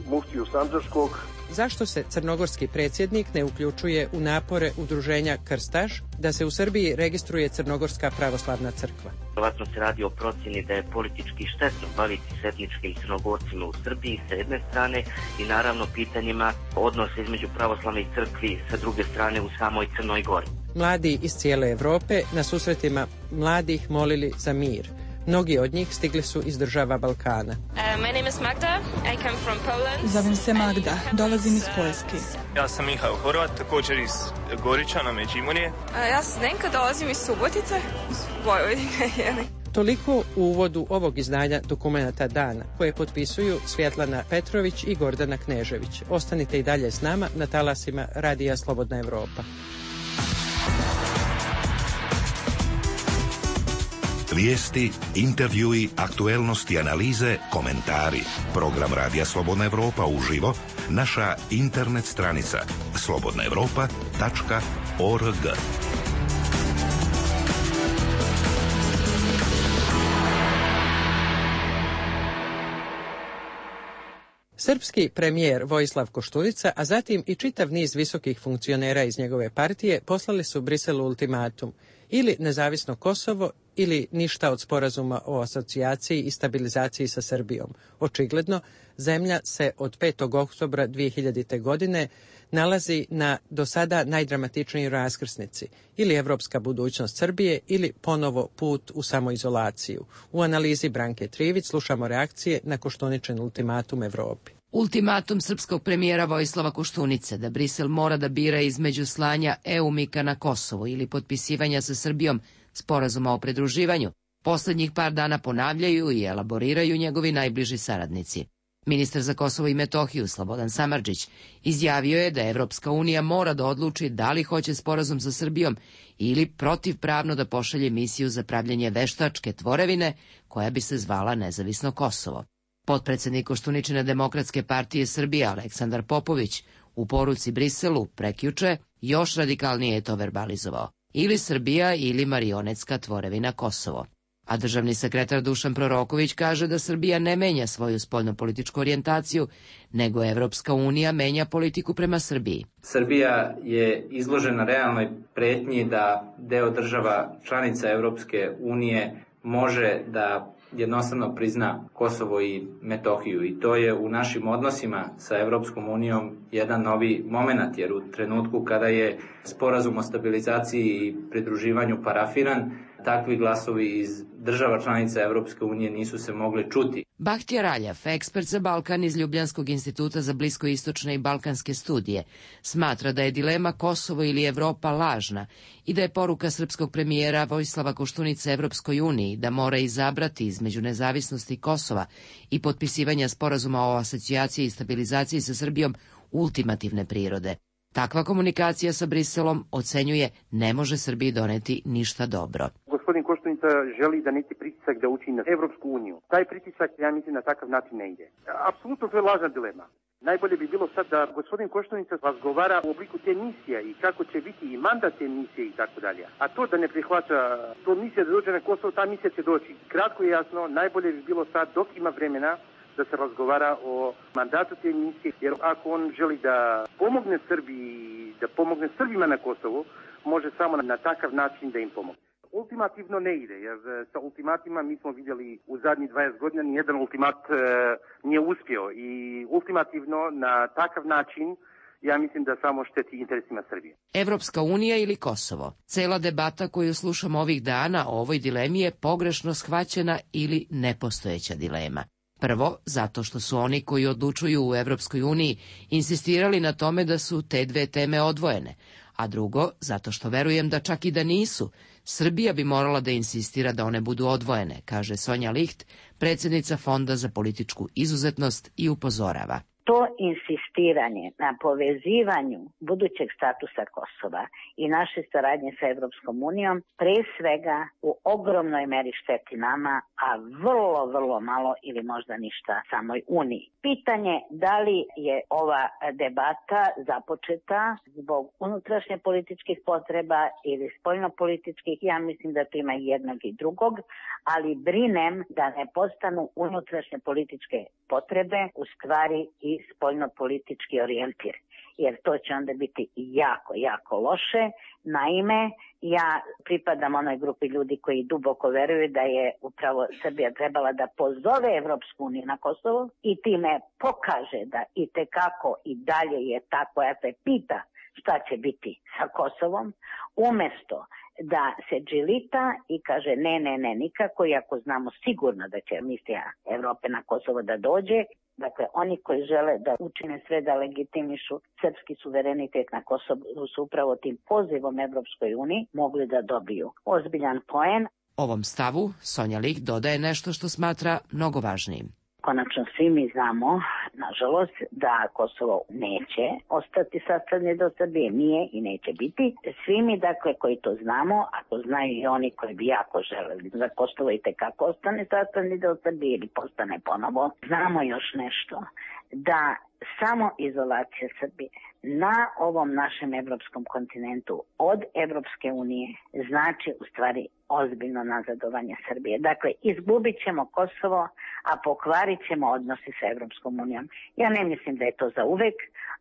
muftiju Sandžačkog. Zašto se crnogorski predsjednik ne uključuje u napore udruženja Krstaš da se u Srbiji registruje Crnogorska pravoslavna crkva? Vjerojatno se radi o procjeni da je politički štetno baviti se etničkim Crnogorcima u Srbiji sa jedne strane i naravno pitanjima odnosa između pravoslavnih crkvi sa druge strane u samoj Crnoj Gori. Mladi iz cijele Evrope na susretima mladih molili za mir. Mnogi od njih stigli su iz država Balkana. Uh, my name is Magda. I come from Poland. Zovem se Magda, dolazim iz Poljske. Ja sam Mihajl Horvat, također iz Goričana, Međimurje. Uh, ja sam Zdenka, dolazim iz Subotice, iz Vojvodine. Toliko u uvodu ovog izdanja Dokumenata dana, koje potpisuju Svjetlana Petrović i Gordana Knežević. Ostanite i dalje s nama na talasima Radija Slobodna Evropa. Vijesti, intervjui, aktuelnosti, analize, komentari. Program Radija Slobodna Evropa uživo, naša internet stranica slobodna evropa tačka org. Srpski premijer Vojislav Koštunica, a zatim i čitav niz visokih funkcionera iz njegove partije poslali su Briselu ultimatum ili nezavisno Kosovo ili ništa od sporazuma o asocijaciji i stabilizaciji sa Srbijom. Očigledno, zemlja se od petog oktobra dvije hiljadite. godine nalazi na do sada najdramatičnijoj raskrsnici, ili evropska budućnost Srbije ili ponovo put u samoizolaciju. U analizi Branke Trivić slušamo reakcije na Koštuničin ultimatum Evropi. Ultimatum srpskog premijera Vojislava Koštunice da Brisel mora da bira između slanja E U MIK-a na Kosovo ili potpisivanja sa Srbijom sporazuma o pridruživanju, poslednjih par dana ponavljaju i elaboriraju njegovi najbliži saradnici. Ministar za Kosovo i Metohiju Slobodan Samardžić izjavio je da Evropska unija mora da odluči da li hoće sporazum sa Srbijom ili protivpravno da pošalje misiju za pravljenje veštačke tvorevine koja bi se zvala Nezavisno Kosovo. Potpredsednik Koštuničine Demokratske partije Srbije Aleksandar Popović u poruci Briselu prekjuče još radikalnije je to verbalizovao. Ili Srbija ili marionetska tvorevina Kosovo. A državni sekretar Dušan Proroković kaže da Srbija ne menja svoju spoljnopolitičku orijentaciju, nego Evropska unija menja politiku prema Srbiji. Srbija je izložena realnoj pretnji da deo država članica Evropske unije može da jednostavno prizna Kosovo i Metohiju i to je u našim odnosima sa Evropskom unijom jedan novi moment, jer u trenutku kada je sporazum o stabilizaciji i pridruživanju parafiran, takvi glasovi iz država članica Evropske unije nisu se mogli čuti. Bahtija Raljaf, ekspert za Balkan iz Ljubljanskog instituta za bliskoistočne i balkanske studije, smatra da je dilema Kosovo ili Evropa lažna i da je poruka srpskog premijera Vojislava Koštunice Evropskoj uniji da mora izabrati između nezavisnosti Kosova i potpisivanja sporazuma o asocijaciji i stabilizaciji sa Srbijom ultimativne prirode. Takva komunikacija sa Briselom, ocenjuje, ne može Srbiji doneti ništa dobro. Gospodin Koštunić Koštunica želi da neki pritisak da učini na Evropsku uniju. Taj pritisak, ja mislim, na takav način ne ide. Apsolutno to je lažna dilema. Najbolje bi bilo sad da gospodin Koštunica razgovara u obliku te misije i kako će biti i mandat te misije i tako dalje. A to da ne prihvaća to misija da dođe na Kosovo, ta misija će doći. Kratko i jasno, najbolje bi bilo sad dok ima vremena da se razgovara o mandatu te misije, jer ako on želi da pomogne Srbiji, da pomogne Srbima na Kosovu, može samo na takav način da im pomogne. Ultimativno ne ide, jer sa ultimatima mi smo vidjeli u zadnjih dvadeset godina nijedan ultimat e, nije uspio i ultimativno na takav način ja mislim da samo šteti interesima Srbije. Evropska unija ili Kosovo? Cela debata koju slušamo ovih dana o ovoj dilemi je pogrešno shvaćena ili nepostojeća dilema. Prvo, zato što su oni koji odlučuju u Evropskoj uniji insistirali na tome da su te dve teme odvojene, a drugo, zato što verujem da čak i da nisu, Srbija bi morala da insistira da one budu odvojene, kaže Sonja Licht, predsjednica Fonda za političku izuzetnost i upozorava. To insistiranje na povezivanju budućeg statusa Kosova i naše saradnje sa Evropskom unijom pre svega u ogromnoj meri šteti nama, a vrlo, vrlo malo ili možda ništa samoj Uniji. Pitanje da li je ova debata započeta zbog unutrašnje političkih potreba ili spoljnopolitičkih, ja mislim da to ima jednog i drugog, ali brinem da ne postanu unutrašnje političke potrebe u stvari i spoljnopolitički orijentir, jer to će onda biti jako, jako loše. Naime, ja pripadam onoj grupi ljudi koji duboko veruju da je upravo Srbija trebala da pozove Evropsku uniju na Kosovo i time pokaže da i tekako i dalje je ta koja se pita šta će biti sa Kosovom, umesto da se džilita i kaže ne, ne, ne, nikako, iako znamo sigurno da će misija Evrope na Kosovo da dođe. Dakle, oni koji žele da učine sve da legitimišu srpski suverenitet na Kosovu su upravo tim pozivom Evropskoj uniji mogli da dobiju ozbiljan poen. Ovom stavu Sonja Licht dodaje nešto što smatra mnogo važnijim. Konačno svi mi znamo, nažalost, da Kosovo neće ostati sastavni deo Srbije, nije i neće biti. Svi mi, dakle, koji to znamo, a to znaju i oni koji bi jako želeli za Kosovo i tekako ostane sastavni deo Srbije ili postane ponovo, znamo još nešto, da samo izolacija Srbije na ovom našem evropskom kontinentu od Evropske unije znači u stvari ozbiljno nazadovanje Srbije. Dakle, izgubit ćemo Kosovo, a pokvarit ćemo odnosi sa Evropskom unijom. Ja ne mislim da je to za uvek,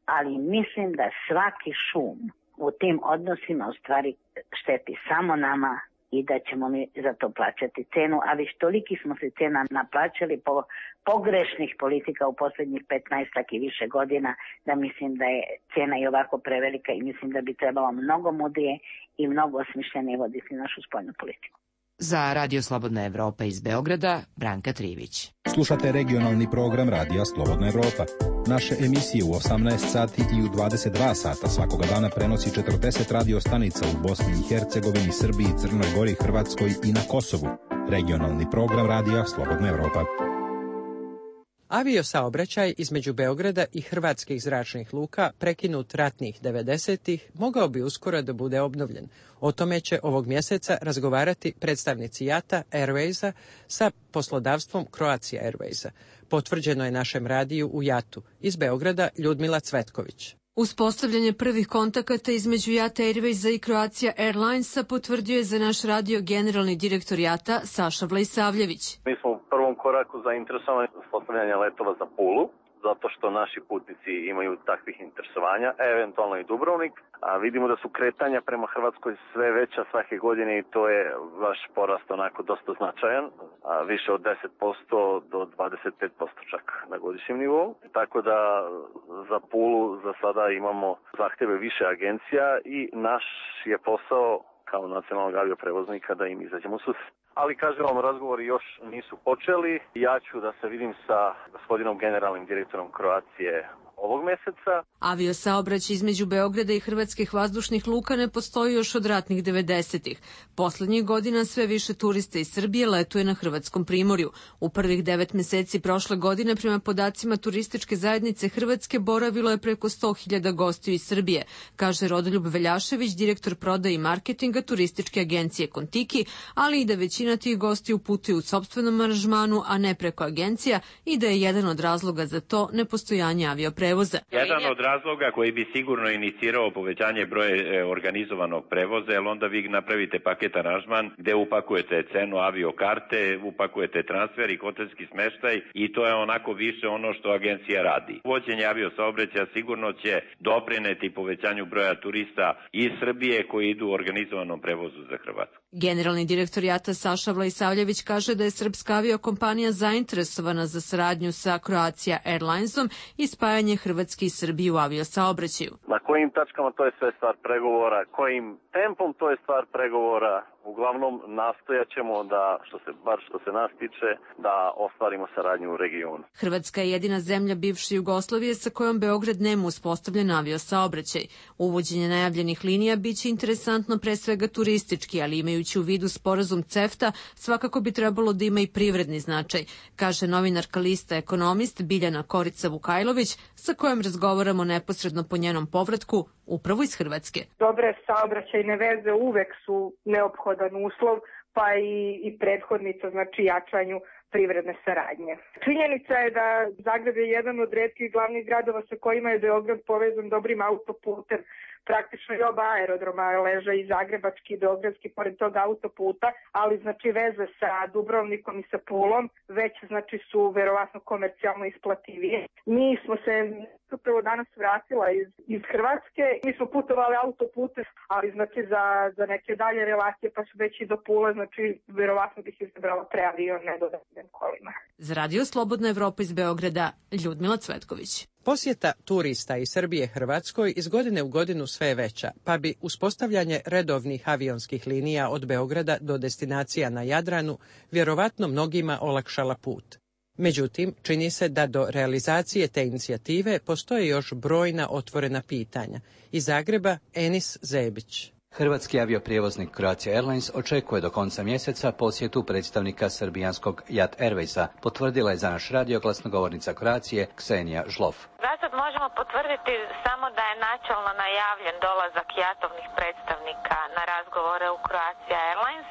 ali mislim da svaki šum u tim odnosima u stvari šteti samo nama i da ćemo mi za to plaćati cenu, a već toliki smo se cena naplaćali po pogrešnih politika u posljednjih petnaestak i više godina, da mislim da je cena i ovako prevelika i mislim da bi trebalo mnogo mudrije i mnogo osmišljenije voditi našu spoljnu politiku. Za Radio Slobodna Evropa iz Beograda, Branka Trivić. Slušate regionalni program Radija Slobodna Evropa. Naše emisije u osamnaest sati i u dvadeset dva sata svakoga dana prenosi četrdeset radio stanica u Bosni i Hercegovini, Srbiji, Crnoj Gori, Hrvatskoj i na Kosovu. Regionalni program Radija Slobodna Evropa. Avio saobraćaj između Beograda i hrvatskih zračnih luka, prekinut ratnih devedesetih, mogao bi uskoro da bude obnovljen. O tome će ovog mjeseca razgovarati predstavnici JATA Airwaysa sa poslodavstvom Croatia Airwaysa. Potvrđeno je našem radiju u JAT-u. Iz Beograda Ljudmila Cvetković. Uspostavljanje prvih kontakata između JATA Airwaysa i Croatia Airlinesa potvrdio je za naš radio generalni direktor JATA Saša Vlajsavljević. Mi smo u prvom koraku zainteresovani uspostavljanja letova za Pulu, zato što naši putnici imaju takvih interesovanja, eventualno i Dubrovnik, a vidimo da su kretanja prema Hrvatskoj sve veća svake godine i to je vaš porast onako dosta značajan, a više od deset posto do dvadeset pet posto čak na godišnjem nivou. Tako da za Pulu za sada imamo zahtjeve više agencija i naš je posao kao nacionalnog avioprevoznika da im izađemo u susret. Ali, kažem vam, razgovori još nisu počeli. Ja ću da se vidim sa gospodinom generalnim direktorom Croacije ovog meseca. Aviosaobraćaj između Beograda i hrvatskih vazdušnih luka ne postoji još od ratnih devedesetih. Poslednjih godina sve više turista iz Srbije letuje na hrvatskom primorju. U prvih devet meseci prošle godine, prema podacima turističke zajednice Hrvatske, boravilo je preko sto hiljada gostiju iz Srbije, kaže Rodoljub Veljašević, direktor prodaje i marketinga turističke agencije Kontiki, ali i da većina tih gostiju putuju u sopstvenom aranžmanu, a ne preko agencija, i da je jedan od razloga za to nepostojanje avioprevoza. Jedan od razloga koji bi sigurno inicirao povećanje broja organizovanog prevoza, jer onda vi napravite paket aranžman gde upakujete cenu aviokarte, upakujete transfer i hotelski smeštaj i to je onako više ono što agencija radi. Uvođenje aviosaobraćaja sigurno će doprineti povećanju broja turista iz Srbije koji idu u organizovanom prevozu za Hrvatsku. Generalni direktor JAT-a Saša Vlasavljević kaže da je srpska aviokompanija zainteresovana za saradnju sa Croatia Airlinesom i spajanje Hrvatske i Srbije u aviosaobraćaju. Na kojim tačkama to je sve stvar pregovora, kojim tempom to je stvar pregovora. Uglavnom nastojat ćemo da, što se, bar što se nas tiče, da ostvarimo saradnju u regionu. Hrvatska je jedina zemlja bivše Jugoslavije sa kojom Beograd nema uspostavljen aviosaobraćaj. Uvođenje najavljenih linija biće interesantno pre svega turistički, ali imajući u vidu sporazum CEFTA, svakako bi trebalo da ima i privredni značaj, kaže novinarka lista Ekonomist Biljana Korica Vukajlović, sa kojom razgovaramo neposredno po njenom povratku, upravo iz Hrvatske. Dobre saobraćajne veze uvek su neophodan uslov, pa i, i prethodnica, znači jačanju privredne saradnje. Činjenica je da Zagreb je jedan od retkih glavnih gradova sa kojima je Beograd povezan dobrim autoputem. Praktično i oba aerodroma leže i zagrebački i beogradski pored tog autoputa, ali znači veze sa Dubrovnikom i sa Pulom već znači su verovatno komercijalno isplativije. Mi smo se upravo danas vratila iz, iz Hrvatske, mi smo putovali autoputem, ali znači za, za neke dalje relacije pa su već i do Pule, znači verovatno bih izabrala pre avion, ne dodatnim kolima. Za Radio Slobodna Evropa iz Beograda, Ljudmila Cvetković. Posjeta turista iz Srbije Hrvatskoj iz godine u godinu sve je veća, pa bi uspostavljanje redovnih avionskih linija od Beograda do destinacija na Jadranu vjerovatno mnogima olakšala put. Međutim, čini se da do realizacije te inicijative postoje još brojna otvorena pitanja. Iz Zagreba, Enis Zebić. Hrvatski avioprijevoznik Croatia Airlines očekuje do konca mjeseca posjetu predstavnika srbijanskog JAT Airwaysa, potvrdila je za naš radio glasnogovornica Croacije Ksenija Žlof. Zasad možemo potvrditi samo da je načelno najavljen dolazak JAT-ovnih predstavnika na razgovore u Croatia Airlines,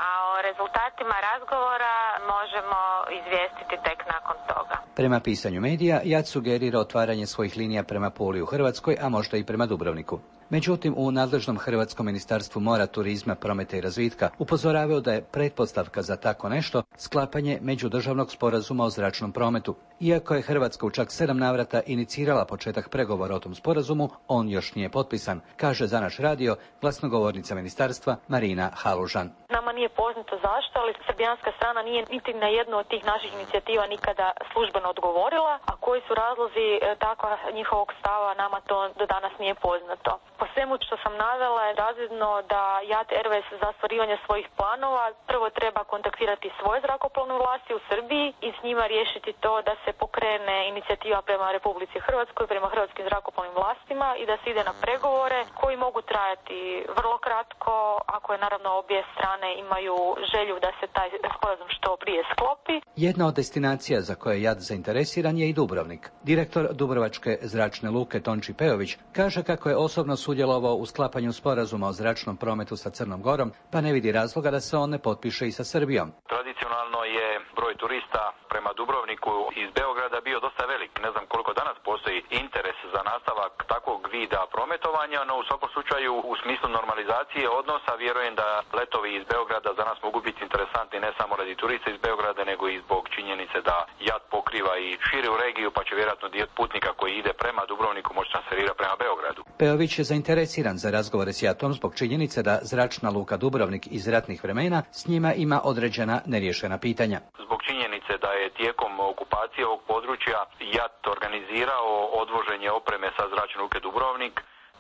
a o rezultatima razgovora možemo izvijestiti tek nakon toga. Prema pisanju medija, JAT sugerira otvaranje svojih linija prema Puli u Hrvatskoj, a možda i prema Dubrovniku. Međutim, u nadležnom Hrvatskom ministarstvu mora, turizma, prometa i razvitka upozoravaju da je pretpostavka za tako nešto sklapanje međudržavnog sporazuma o zračnom prometu. Iako je Hrvatska u čak sedam navrata inicirala početak pregovora o tom sporazumu, on još nije potpisan, kaže za naš radio glasnogovornica ministarstva Marina Halužan. Nama nije poznato zašto, ali srbijanska strana nije niti na jednu od tih naših inicijativa nikada službeno odgovorila, a koji su razlozi takva njihovog stava, nama to do danas nije poznato. Po svemu što sam navela je razvidno da JAT Airways za ostvarivanje svojih planova prvo treba kontaktirati svoje zrakoplovne vlasti u Srbiji i s njima riješiti to da se pokrene inicijativa prema Republici Hrvatskoj, prema hrvatskim zrakoplovnim vlastima i da se ide na pregovore koji mogu trajati vrlo kratko, ako je naravno obje strane imaju želju da se taj sporazum što prije sklopi. Jedna od destinacija za koje je JAT zainteresiran je i Dubrovnik. Direktor Dubrovačke zračne luke Tonči Pejović kaže kako je osobno sudjelovao u sklapanju sporazuma o zračnom prometu sa Crnom Gorom, pa ne vidi razloga da se on ne potpiše i sa Srbijom. Tradicionalno je broj turista prema Dubrovniku iz Beograda bio dosta velik. Ne znam koliko danas postoji interes za nastavak takvog vida prometovanja, no u svakom slučaju u smislu normalizacije odnosa vjerujem da letovi iz Beograda za nas mogu biti interesantni ne samo radi turista iz Beograda, nego i zbog činjenice da JAT pokriva i širu regiju, pa će vjerojatno dio putnika koji ide prema Dubrovniku moći transferirati prema Beogradu. Pejović je zainteresiran za razgovore s JAT-om zbog činjenice da zračna luka Dubrovnik iz ratnih vremena s njima ima određena neriješena pitanja. Zbog činjenice da je tijekom okupacije ovog područja JAT organizirao odvoženje opreme sa zračne luke Dubrovnik,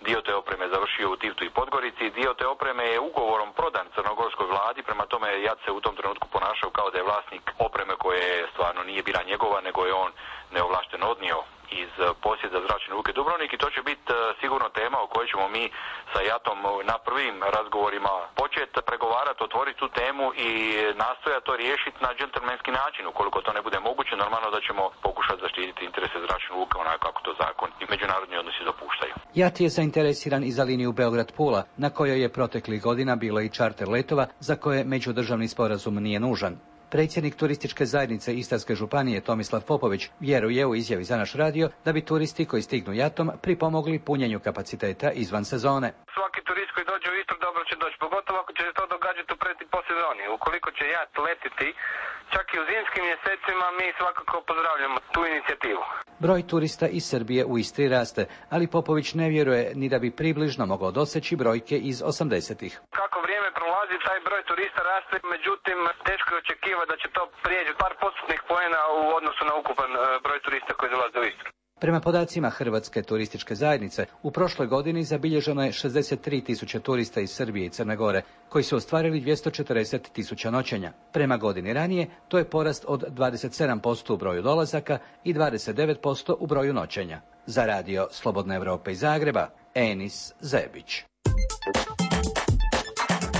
dio te opreme završio u Tivtu i Podgorici, dio te opreme je ugovorom prodan crnogorskoj vladi, prema tome JAT se u tom trenutku ponašao kao da je vlasnik opreme koje stvarno nije bila njegova, nego je on neovlašteno odnio iz posjeda zračne luke Dubrovnik i to će biti sigurno tema o kojoj ćemo mi sa JAT-om na prvim razgovorima početi pregovarati, otvoriti tu temu i nastojati to riješiti na džentlmenski način. Ukoliko to ne bude moguće, normalno da ćemo pokušati zaštititi interese zračne luke onako kako to zakon i međunarodni odnosi dopuštaju. JAT je zainteresiran i za liniju Beograd-Pula, na kojoj je proteklih godina bilo i čarter letova za koje međudržavni sporazum nije nužan. Predsjednik turističke zajednice Istarske županije Tomislav Popović vjeruje u izjavi za naš radio da bi turisti koji stignu jatom pripomogli punjenju kapaciteta izvan sezone. Svaki turist koji dođe u Istru dobro će doći, pogotovo ako će se to događati u pred i po sezoni. Ukoliko će jat letiti čak i u zimskim mjesecima, mi svakako pozdravljamo tu inicijativu. Broj turista iz Srbije u Istri raste, ali Popović ne vjeruje ni da bi približno mogao doseći brojke iz osamdesetih. Kako vrijeme prolazi, taj broj turista raste, međutim teško je očekivati da će to prijeći par postotnih poena u odnosu na ukupan broj turista koji dolaze u Istru. Prema podacima Hrvatske turističke zajednice, u prošloj godini zabilježeno je šezdeset tri tisuće turista iz Srbije i Crne Gore, koji su ostvarili dvjesto četrdeset tisuća noćenja. Prema godini ranije, to je porast od dvadeset sedam posto u broju dolazaka i dvadeset devet posto u broju noćenja. Za radio Slobodna Evropa iz Zagreba, Enis Zebić.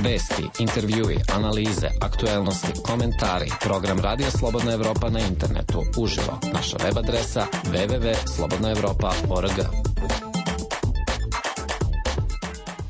Vesti, intervjui, analize, aktuelnosti, komentari, program Radio Slobodna Evropa na internetu, uživo. Naša web adresa w w w tačka slobodna evropa tačka org.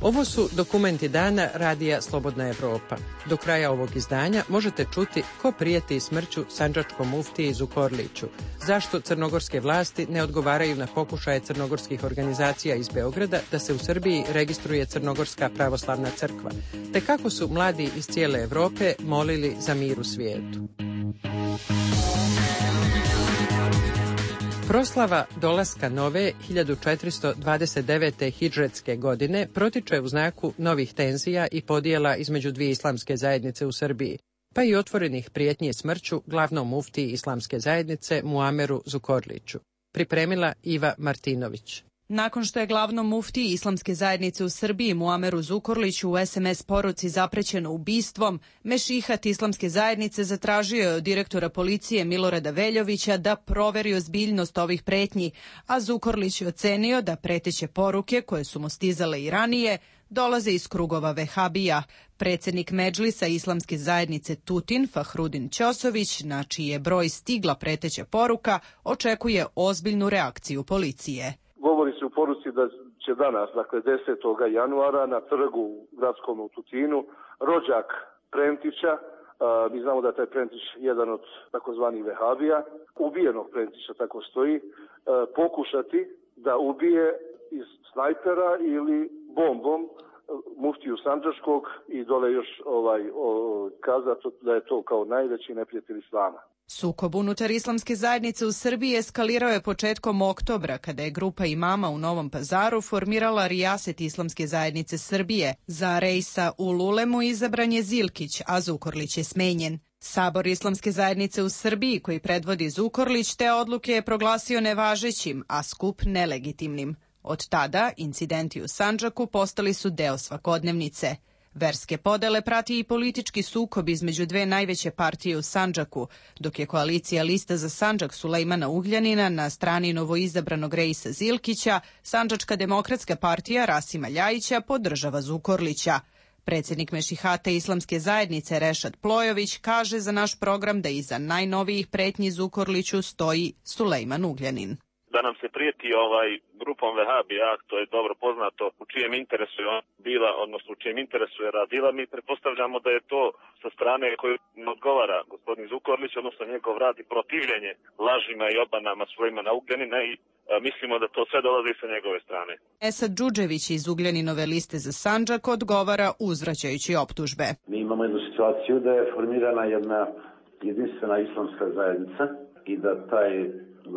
Ovo su dokumenti dana Radija Slobodna Evropa. Do kraja ovog izdanja možete čuti ko prijeti smrću sandžačkom muftiji Zukorliću, zašto crnogorske vlasti ne odgovaraju na pokušaje crnogorskih organizacija iz Beograda da se u Srbiji registruje Crnogorska pravoslavna crkva, te kako su mladi iz cijele Evrope molili za mir u svijetu. Proslava dolaska nove hiljadu četiristo dvadeset devete hidžretske godine protiče u znaku novih tenzija i podjela između dvije islamske zajednice u Srbiji, pa i otvorenih prijetnji smrću glavnom muftiji islamske zajednice Muameru Zukorliću. Pripremila Iva Martinović. Nakon što je glavnom muftiji islamske zajednice u Srbiji Muameru Zukorliću u es em es poruci zaprećeno ubistvom, mešihat islamske zajednice zatražio je od direktora policije Milorada Veljovića da proveri ozbiljnost ovih pretnji, a Zukorlić je ocenio da preteće poruke, koje su mu stizale i ranije, dolaze iz krugova vehabija. Predsjednik Medžlisa islamske zajednice Tutin, Fahrudin Ćosović, na čiji je broj stigla preteća poruka, očekuje ozbiljnu reakciju policije. Govori se u poruci da će danas, dakle desetog januara, na trgu u gradskom u Tutinu, rođak Prentića, a, mi znamo da je taj Prentić jedan od takozvanih vehabija, ubijenog Prentića, tako stoji, a, pokušati da ubije iz snajpera ili bombom muftiju Sandžačkog i dole još ovaj, o, kazati da je to kao najveći neprijatelj islama. Sukob unutar islamske zajednice u Srbiji eskalirao je početkom oktobra, kada je grupa imama u Novom Pazaru formirala rijaset islamske zajednice Srbije. Za rejsa u Lulemu izabran je Zilkić, a Zukorlić je smenjen. Sabor islamske zajednice u Srbiji, koji predvodi Zukorlić, te odluke je proglasio nevažećim, a skup nelegitimnim. Od tada, incidenti u Sandžaku postali su deo svakodnevnice. Verske podele prati i politički sukob između dve najveće partije u Sandžaku, dok je koalicija Lista za Sandžak Sulejmana Ugljanina na strani novoizabranog Rejsa Zilkića, Sandžačka demokratska partija Rasima Ljajića podržava Zukorlića. Predsjednik Mešihata islamske zajednice Rešad Plojović kaže za naš program da iza najnovijih pretnji Zukorliću stoji Sulejman Ugljanin. Da nam se prijeti ovaj grupom vehabija, to je dobro poznato, u čijem interesu je on bila, odnosno u čijem interesu je radila, mi pretpostavljamo da je to sa strane koju odgovara gospodin Zukorlić, odnosno njegov rad i protivljenje lažima i obanama Sulejmana Ugljanina i a, mislimo da to sve dolazi sa njegove strane. Esad Džudžević iz Ugljaninove liste za Sandžak odgovara uzvraćajući optužbe. Mi imamo jednu situaciju da je formirana jedna jedinstvena islamska zajednica i da taj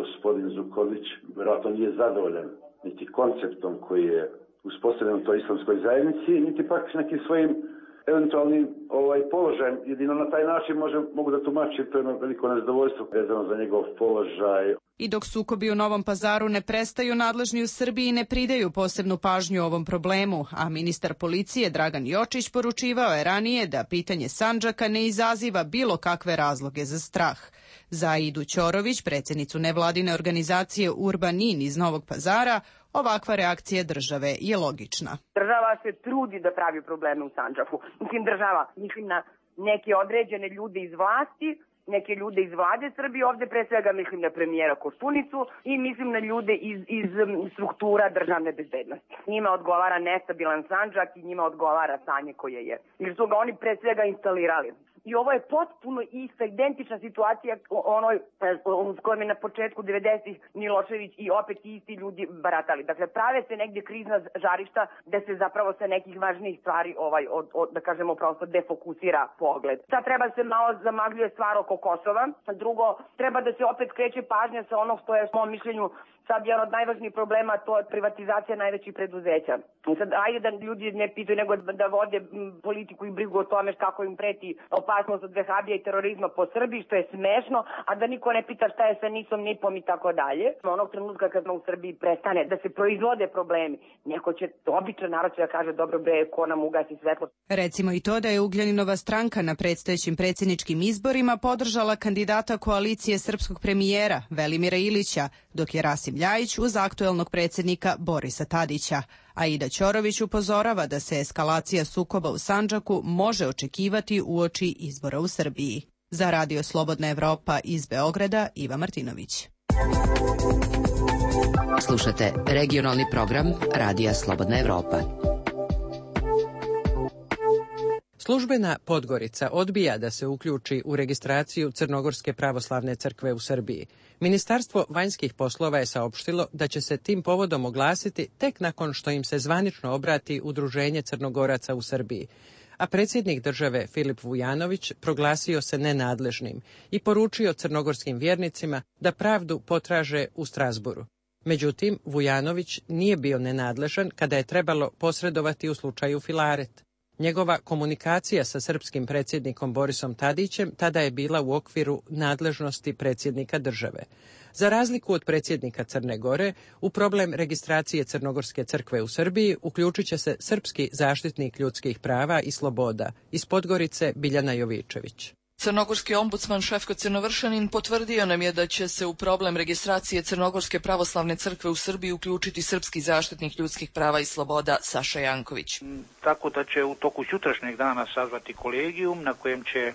gospodin Zukorlić vjerojatno nije zadovoljan niti konceptom koji je uspostavljen u toj islamskoj zajednici, niti pak nekim svojim eventualnim ovaj, položajem. Jedino na taj način može, mogu da tumačim to jedno veliko nezadovoljstvo vezano za njegov položaj. I dok sukobi u Novom Pazaru ne prestaju, nadležni u Srbiji ne pridaju posebnu pažnju ovom problemu, a ministar policije Dragan Jočić poručivao je ranije da pitanje Sandžaka ne izaziva bilo kakve razloge za strah. Za Aidu Ćorović, predsjednicu nevladine organizacije Urbanin iz Novog Pazara, ovakva reakcija države je logična. Država se trudi da pravi probleme u Sandžaku. Mislim država, mislim na neke određene ljude iz vlasti, neke ljude iz vlade Srbije, ovde pre svega mislim na premijera Koštunicu i mislim na ljude iz, iz struktura državne bezbednosti. Njima odgovara nestabilan Sandžak i njima odgovara stanje koje je. Jer su ga oni pre svega instalirali. I ovo je potpuno ista, identična situacija onoj s kojom je na početku devedesetih Milošević i opet isti ljudi baratali. Dakle, prave se negdje krizna žarišta gde se zapravo sa nekih važnijih stvari, ovaj, od, od, da kažemo, prosto defokusira pogled. Sad treba se malo zamagljuje stvar oko Kosova. Drugo, treba da se opet skreće pažnja sa onog što je, u mom mišljenju, sad jedan od najvažnijih problema, to je privatizacija najvećih preduzeća. Sad, ajde da ljudi ne pitaju, nego da vode politiku i brigu o tome kako im preti opasnost od vehabija i terorizma po Srbiji, što je smešno, a da niko ne pita šta je sa nisom, nipom i tako dalje. Onog trenutka kad u Srbiji prestane da se proizvode problemi, neko će, običan narod će da kaže, dobro bre, ko nam ugasi svetlo. Recimo i to da je Ugljaninova stranka na predstojećim predsjedničkim izborima podržala kandidata koalicije srpskog premijera Velimira Ilića, dok je Rasim Ljajić uz aktuelnog predsjednika Borisa Tadića. Aida Ćorović upozorava da se eskalacija sukoba u Sandžaku može očekivati uoči izbora u Srbiji. Za Radio Slobodna Evropa iz Beograda, Iva Martinović. Slušate regionalni program Radija Slobodna Evropa. Službena Podgorica odbija da se uključi u registraciju Crnogorske pravoslavne crkve u Srbiji. Ministarstvo vanjskih poslova je saopštilo da će se tim povodom oglasiti tek nakon što im se zvanično obrati Udruženje Crnogoraca u Srbiji. A predsjednik države Filip Vujanović proglasio se nenadležnim i poručio crnogorskim vjernicima da pravdu potraže u Strazburu. Međutim, Vujanović nije bio nenadležan kada je trebalo posredovati u slučaju Filaret. Njegova komunikacija sa srpskim predsjednikom Borisom Tadićem tada je bila u okviru nadležnosti predsjednika države. Za razliku od predsjednika Crne Gore, u problem registracije Crnogorske crkve u Srbiji uključit će se srpski zaštitnik ljudskih prava i sloboda iz Podgorice Biljana Jovičević. Crnogorski ombudsman Šefko Crnovršanin potvrdio nam je da će se u problem registracije Crnogorske pravoslavne crkve u Srbiji uključiti srpski zaštitnik ljudskih prava i sloboda Saša Janković. Tako da će u toku sutrašnjeg dana sazvati kolegijum na kojem će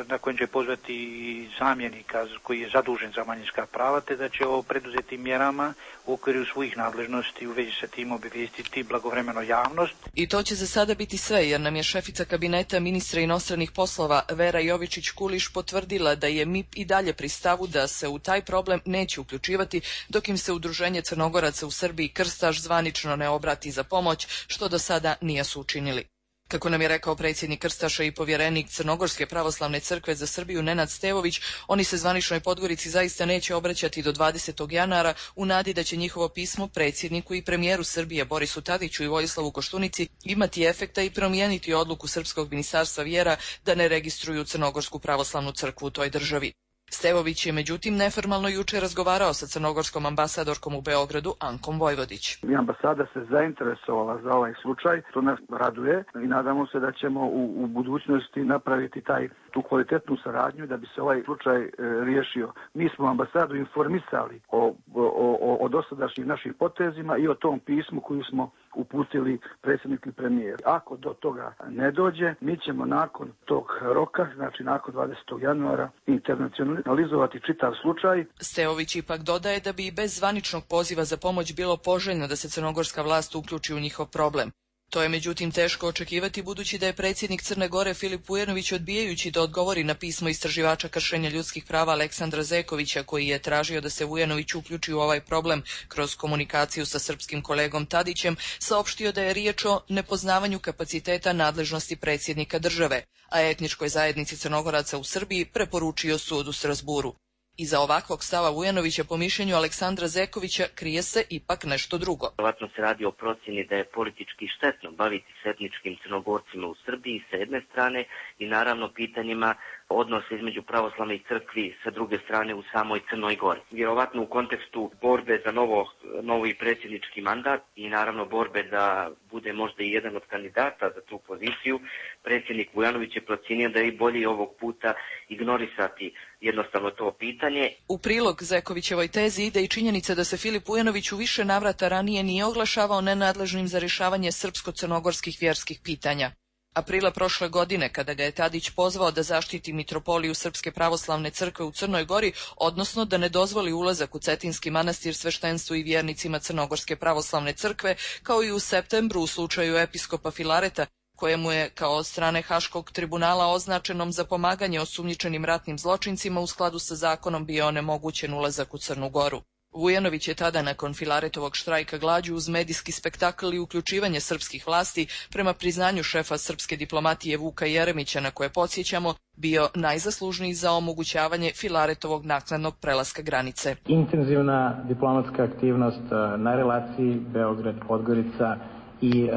na kojem će pozvati zamjenika koji je zadužen za manjinska prava, te da će o preduzetim mjerama u okviru svojih nadležnosti u vezi sa tim obavijestiti blagovremeno javnost. I to će za sada biti sve, jer nam je šefica kabineta ministra inostranih poslova Vera Jovičić-Kuliš potvrdila da je M I P i dalje pri stavu da se u taj problem neće uključivati dok im se Udruženje Crnogoraca u Srbiji Krstaš zvanično ne obrati za pomoć, što do sada nisu učinili. Kako nam je rekao predsjednik Krstaša i povjerenik Crnogorske pravoslavne crkve za Srbiju Nenad Stevović, oni se zvaničnoj Podgorici zaista neće obraćati do dvadesetog januara u nadi da će njihovo pismo predsjedniku i premijeru Srbije Borisu Tadiću i Vojislavu Koštunici imati efekta i promijeniti odluku Srpskog ministarstva vjera da ne registruju Crnogorsku pravoslavnu crkvu u toj državi. Stevović je međutim neformalno juče razgovarao sa crnogorskom ambasadorkom u Beogradu Ankom Vojvodić. I ambasada se zainteresovala za ovaj slučaj, to nas raduje i nadamo se da ćemo u, u budućnosti napraviti taj, tu kvalitetnu saradnju da bi se ovaj slučaj e, riješio. Mi smo ambasadu informisali o, o, o, o dosadašnjim našim potezima i o tom pismu koju smo uputili predsjednik i premijer. Ako do toga ne dođe, mi ćemo nakon tog roka, znači nakon dvadesetog januara, internacionalizovati čitav slučaj. Stevović ipak dodaje da bi i bez zvaničnog poziva za pomoć bilo poželjno da se crnogorska vlast uključi u njihov problem. To je međutim teško očekivati budući da je predsjednik Crne Gore Filip Vujanović odbijajući da odgovori na pismo istraživača kršenja ljudskih prava Aleksandra Zekovića koji je tražio da se Vujanović uključi u ovaj problem kroz komunikaciju sa srpskim kolegom Tadićem, saopštio da je riječ o nepoznavanju kapaciteta nadležnosti predsjednika države, a etničkoj zajednici Crnogoraca u Srbiji preporučio sud u Strazburu. Iza ovakvog stava Vujanovića po mišljenju Aleksandra Zekovića krije se ipak nešto drugo. Vjerojatno se radi o procjeni da je politički štetno baviti se etničkim Crnogorcima u Srbiji sa jedne strane i naravno pitanjima odnose između pravoslavnih crkvi sa druge strane u samoj Crnoj Gori. Vjerovatno u kontekstu borbe za novo, novi predsjednički mandat i naravno borbe da bude možda i jedan od kandidata za tu poziciju, predsjednik Vujanović je procijenio da je bolje ovog puta ignorisati jednostavno to pitanje. U prilog Zekovićevoj tezi ide i činjenica da se Filip Vujanović u više navrata ranije nije oglašavao nenadležnim za rješavanje srpsko-crnogorskih vjerskih pitanja. Aprila prošle godine, kada ga je Tadić pozvao da zaštiti mitropoliju Srpske pravoslavne crkve u Crnoj Gori, odnosno da ne dozvoli ulazak u Cetinski manastir sveštenstvu i vjernicima Crnogorske pravoslavne crkve, kao i u septembru u slučaju episkopa Filareta, kojemu je kao od strane Haškog tribunala označenom za pomaganje osumnjičenim ratnim zločincima u skladu sa zakonom bio onemogućen ulazak u Crnu Goru. Vujanović je tada nakon Filaretovog štrajka glađu uz medijski spektakl i uključivanje srpskih vlasti prema priznanju šefa srpske diplomatije Vuka Jeremića, na koje podsjećamo, bio najzaslužniji za omogućavanje Filaretovog naknadnog prelaska granice. Intenzivna diplomatska aktivnost na relaciji Beograd-Podgorica i e,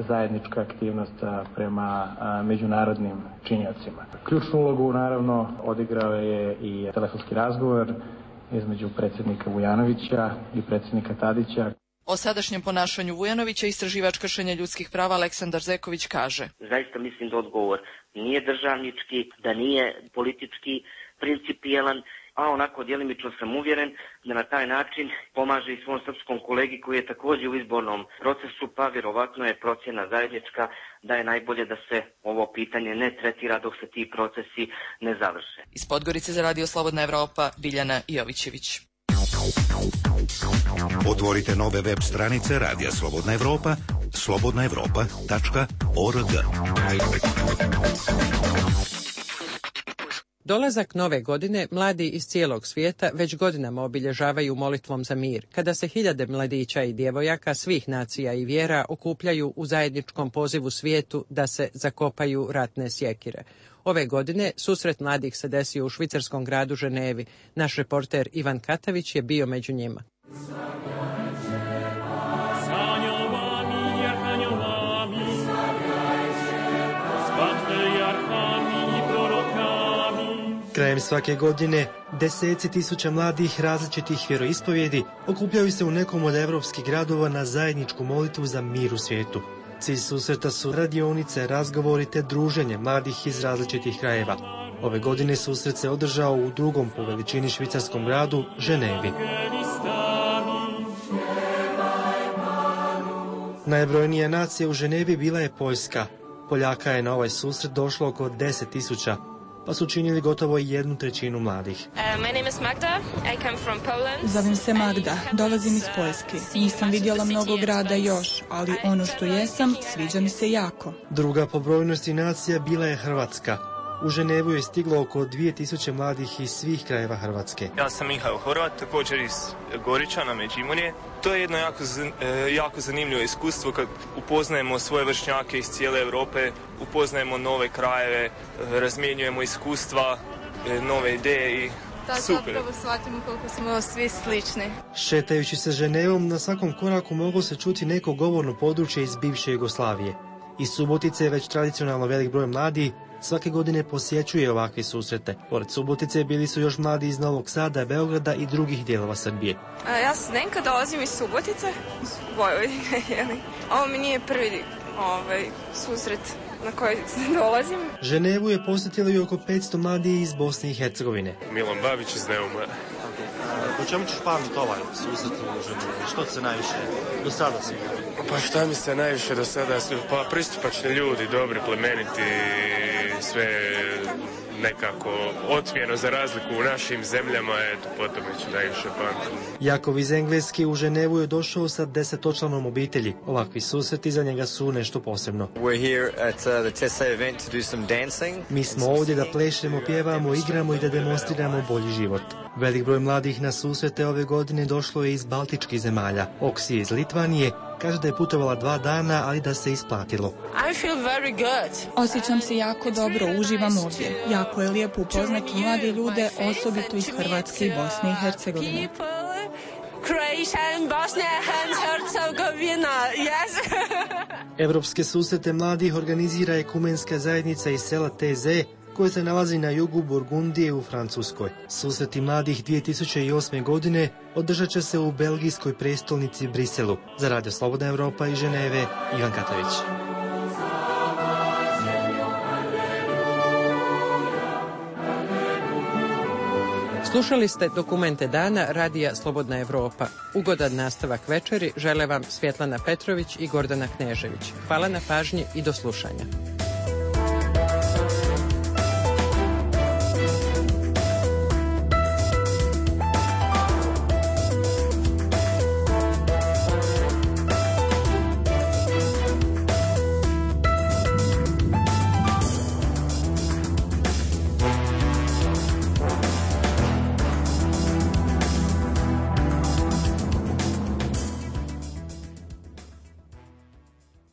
zajednička aktivnost prema e, međunarodnim činiocima. Ključnu ulogu naravno odigrao je i telefonski razgovor između predsjednika Vujanovića i predsjednika Tadića. O sadašnjem ponašanju Vujanovića istraživač kršenja ljudskih prava Aleksandar Zeković kaže: Zaista mislim da odgovor nije državnički, da nije politički principijelan, a onako djelimično sam uvjeren da na taj način pomaže i svom srpskom kolegi koji je također u izbornom procesu, pa vjerovatno je procjena zajednička da je najbolje da se ovo pitanje ne tretira dok se ti procesi ne završe. Iz Podgorice za Radio Slobodna Evropa, Biljana Jovićević. Otvorite nove web stranice Radija Slobodna Evropa, slobodna evropa tačka org. Dolazak nove godine mladi iz cijelog svijeta već godinama obilježavaju molitvom za mir, kada se hiljade mladića i djevojaka svih nacija i vjera okupljaju u zajedničkom pozivu svijetu da se zakopaju ratne sjekire. Ove godine susret mladih se desio u švicarskom gradu Ženevi. Naš reporter Ivan Katavić je bio među njima. Krajem svake godine deseci tisuća mladih različitih vjeroispovjedi okupljaju se u nekom od evropskih gradova na zajedničku molitvu za mir u svijetu. Cilj susreta su radionice, razgovori te druženje mladih iz različitih krajeva. Ove godine susret se održao u drugom po veličini švicarskom gradu Ženevi. Najbrojnija nacija u Ženevi bila je Poljska. Poljaka je na ovaj susret došlo oko deset tisuća, pa su činili gotovo jednu trećinu mladih. Zovem se Magda, dolazim iz Poljske. Nisam vidjela mnogo grada još, ali ono što jesam, sviđa mi se jako. Druga po brojnosti nacija bila je Hrvatska. U Ženevu je stiglo oko dvije tisuće mladih iz svih krajeva Hrvatske. Ja sam Mihajl Horvat, također iz Goričana, Međimurje. To je jedno jako, jako zanimljivo iskustvo kad upoznajemo svoje vršnjake iz cijele Europe, upoznajemo nove krajeve, razmjenjujemo iskustva, nove ideje i tako super. Zapravo shvatimo koliko smo svi slični. Šetajući se Ženevom, na svakom koraku moglo se čuti neko govorno područje iz bivše Jugoslavije. Iz Subotice je već tradicionalno velik broj mladih svake godine posjećuje ovakve susrete. Pored Subotice bili su još mladi iz Novog Sada, Beograda i drugih dijelova Srbije. A, ja sam Zdenka, dolazim iz Subotice, iz Vojvodine, jeli. Ovo mi nije prvi ovaj, susret na koji dolazim. Ženevu je posjetilo i oko petsto mladih iz Bosne i Hercegovine. Milan Babić iz Neuma. Po čemu ćeš pamiti ovaj susret u Ženevu? Što ti se najviše do sada si? Pa šta mi se najviše do sada? Pa pristupačni ljudi, dobri, plemeniti, sve nekako otmjeno za razliku u našim zemljama, eto, potom ću najviše pamtim. Jakov iz Engleske u Ženevu je došao sa desetočlanom obitelji. Ovakvi susreti za njega su nešto posebno. Mi smo ovdje da plešemo, pjevamo, igramo i da demonstriramo bolji život. Velik broj mladih na susrete ove godine došlo je iz baltičkih zemalja. Oksi iz Litvanije kaže da je putovala dva dana, ali da se isplatilo. I feel very good. Osjećam se jako dobro, uživam ovdje. Jako je lijepo upoznati mlade ljude, osobito iz Hrvatske i Bosne i Hercegovine. Croatia and Bosnia and Herzegovina, yes. Evropske susrete mladih organizira ekumenska zajednica iz sela T Z, koje se nalazi na jugu Burgundije u Francuskoj. Susreti mladih dvije tisuće osme. godine održat će se u belgijskoj prestolnici Briselu. Za Radio Slobodna Evropa iz Ženeve, Ivan Katavić. Slušali ste Dokumente dana Radija Slobodna Evropa. Ugodan nastavak večeri žele vam Svjetlana Petrović i Gordana Knežević. Hvala na pažnji i do slušanja.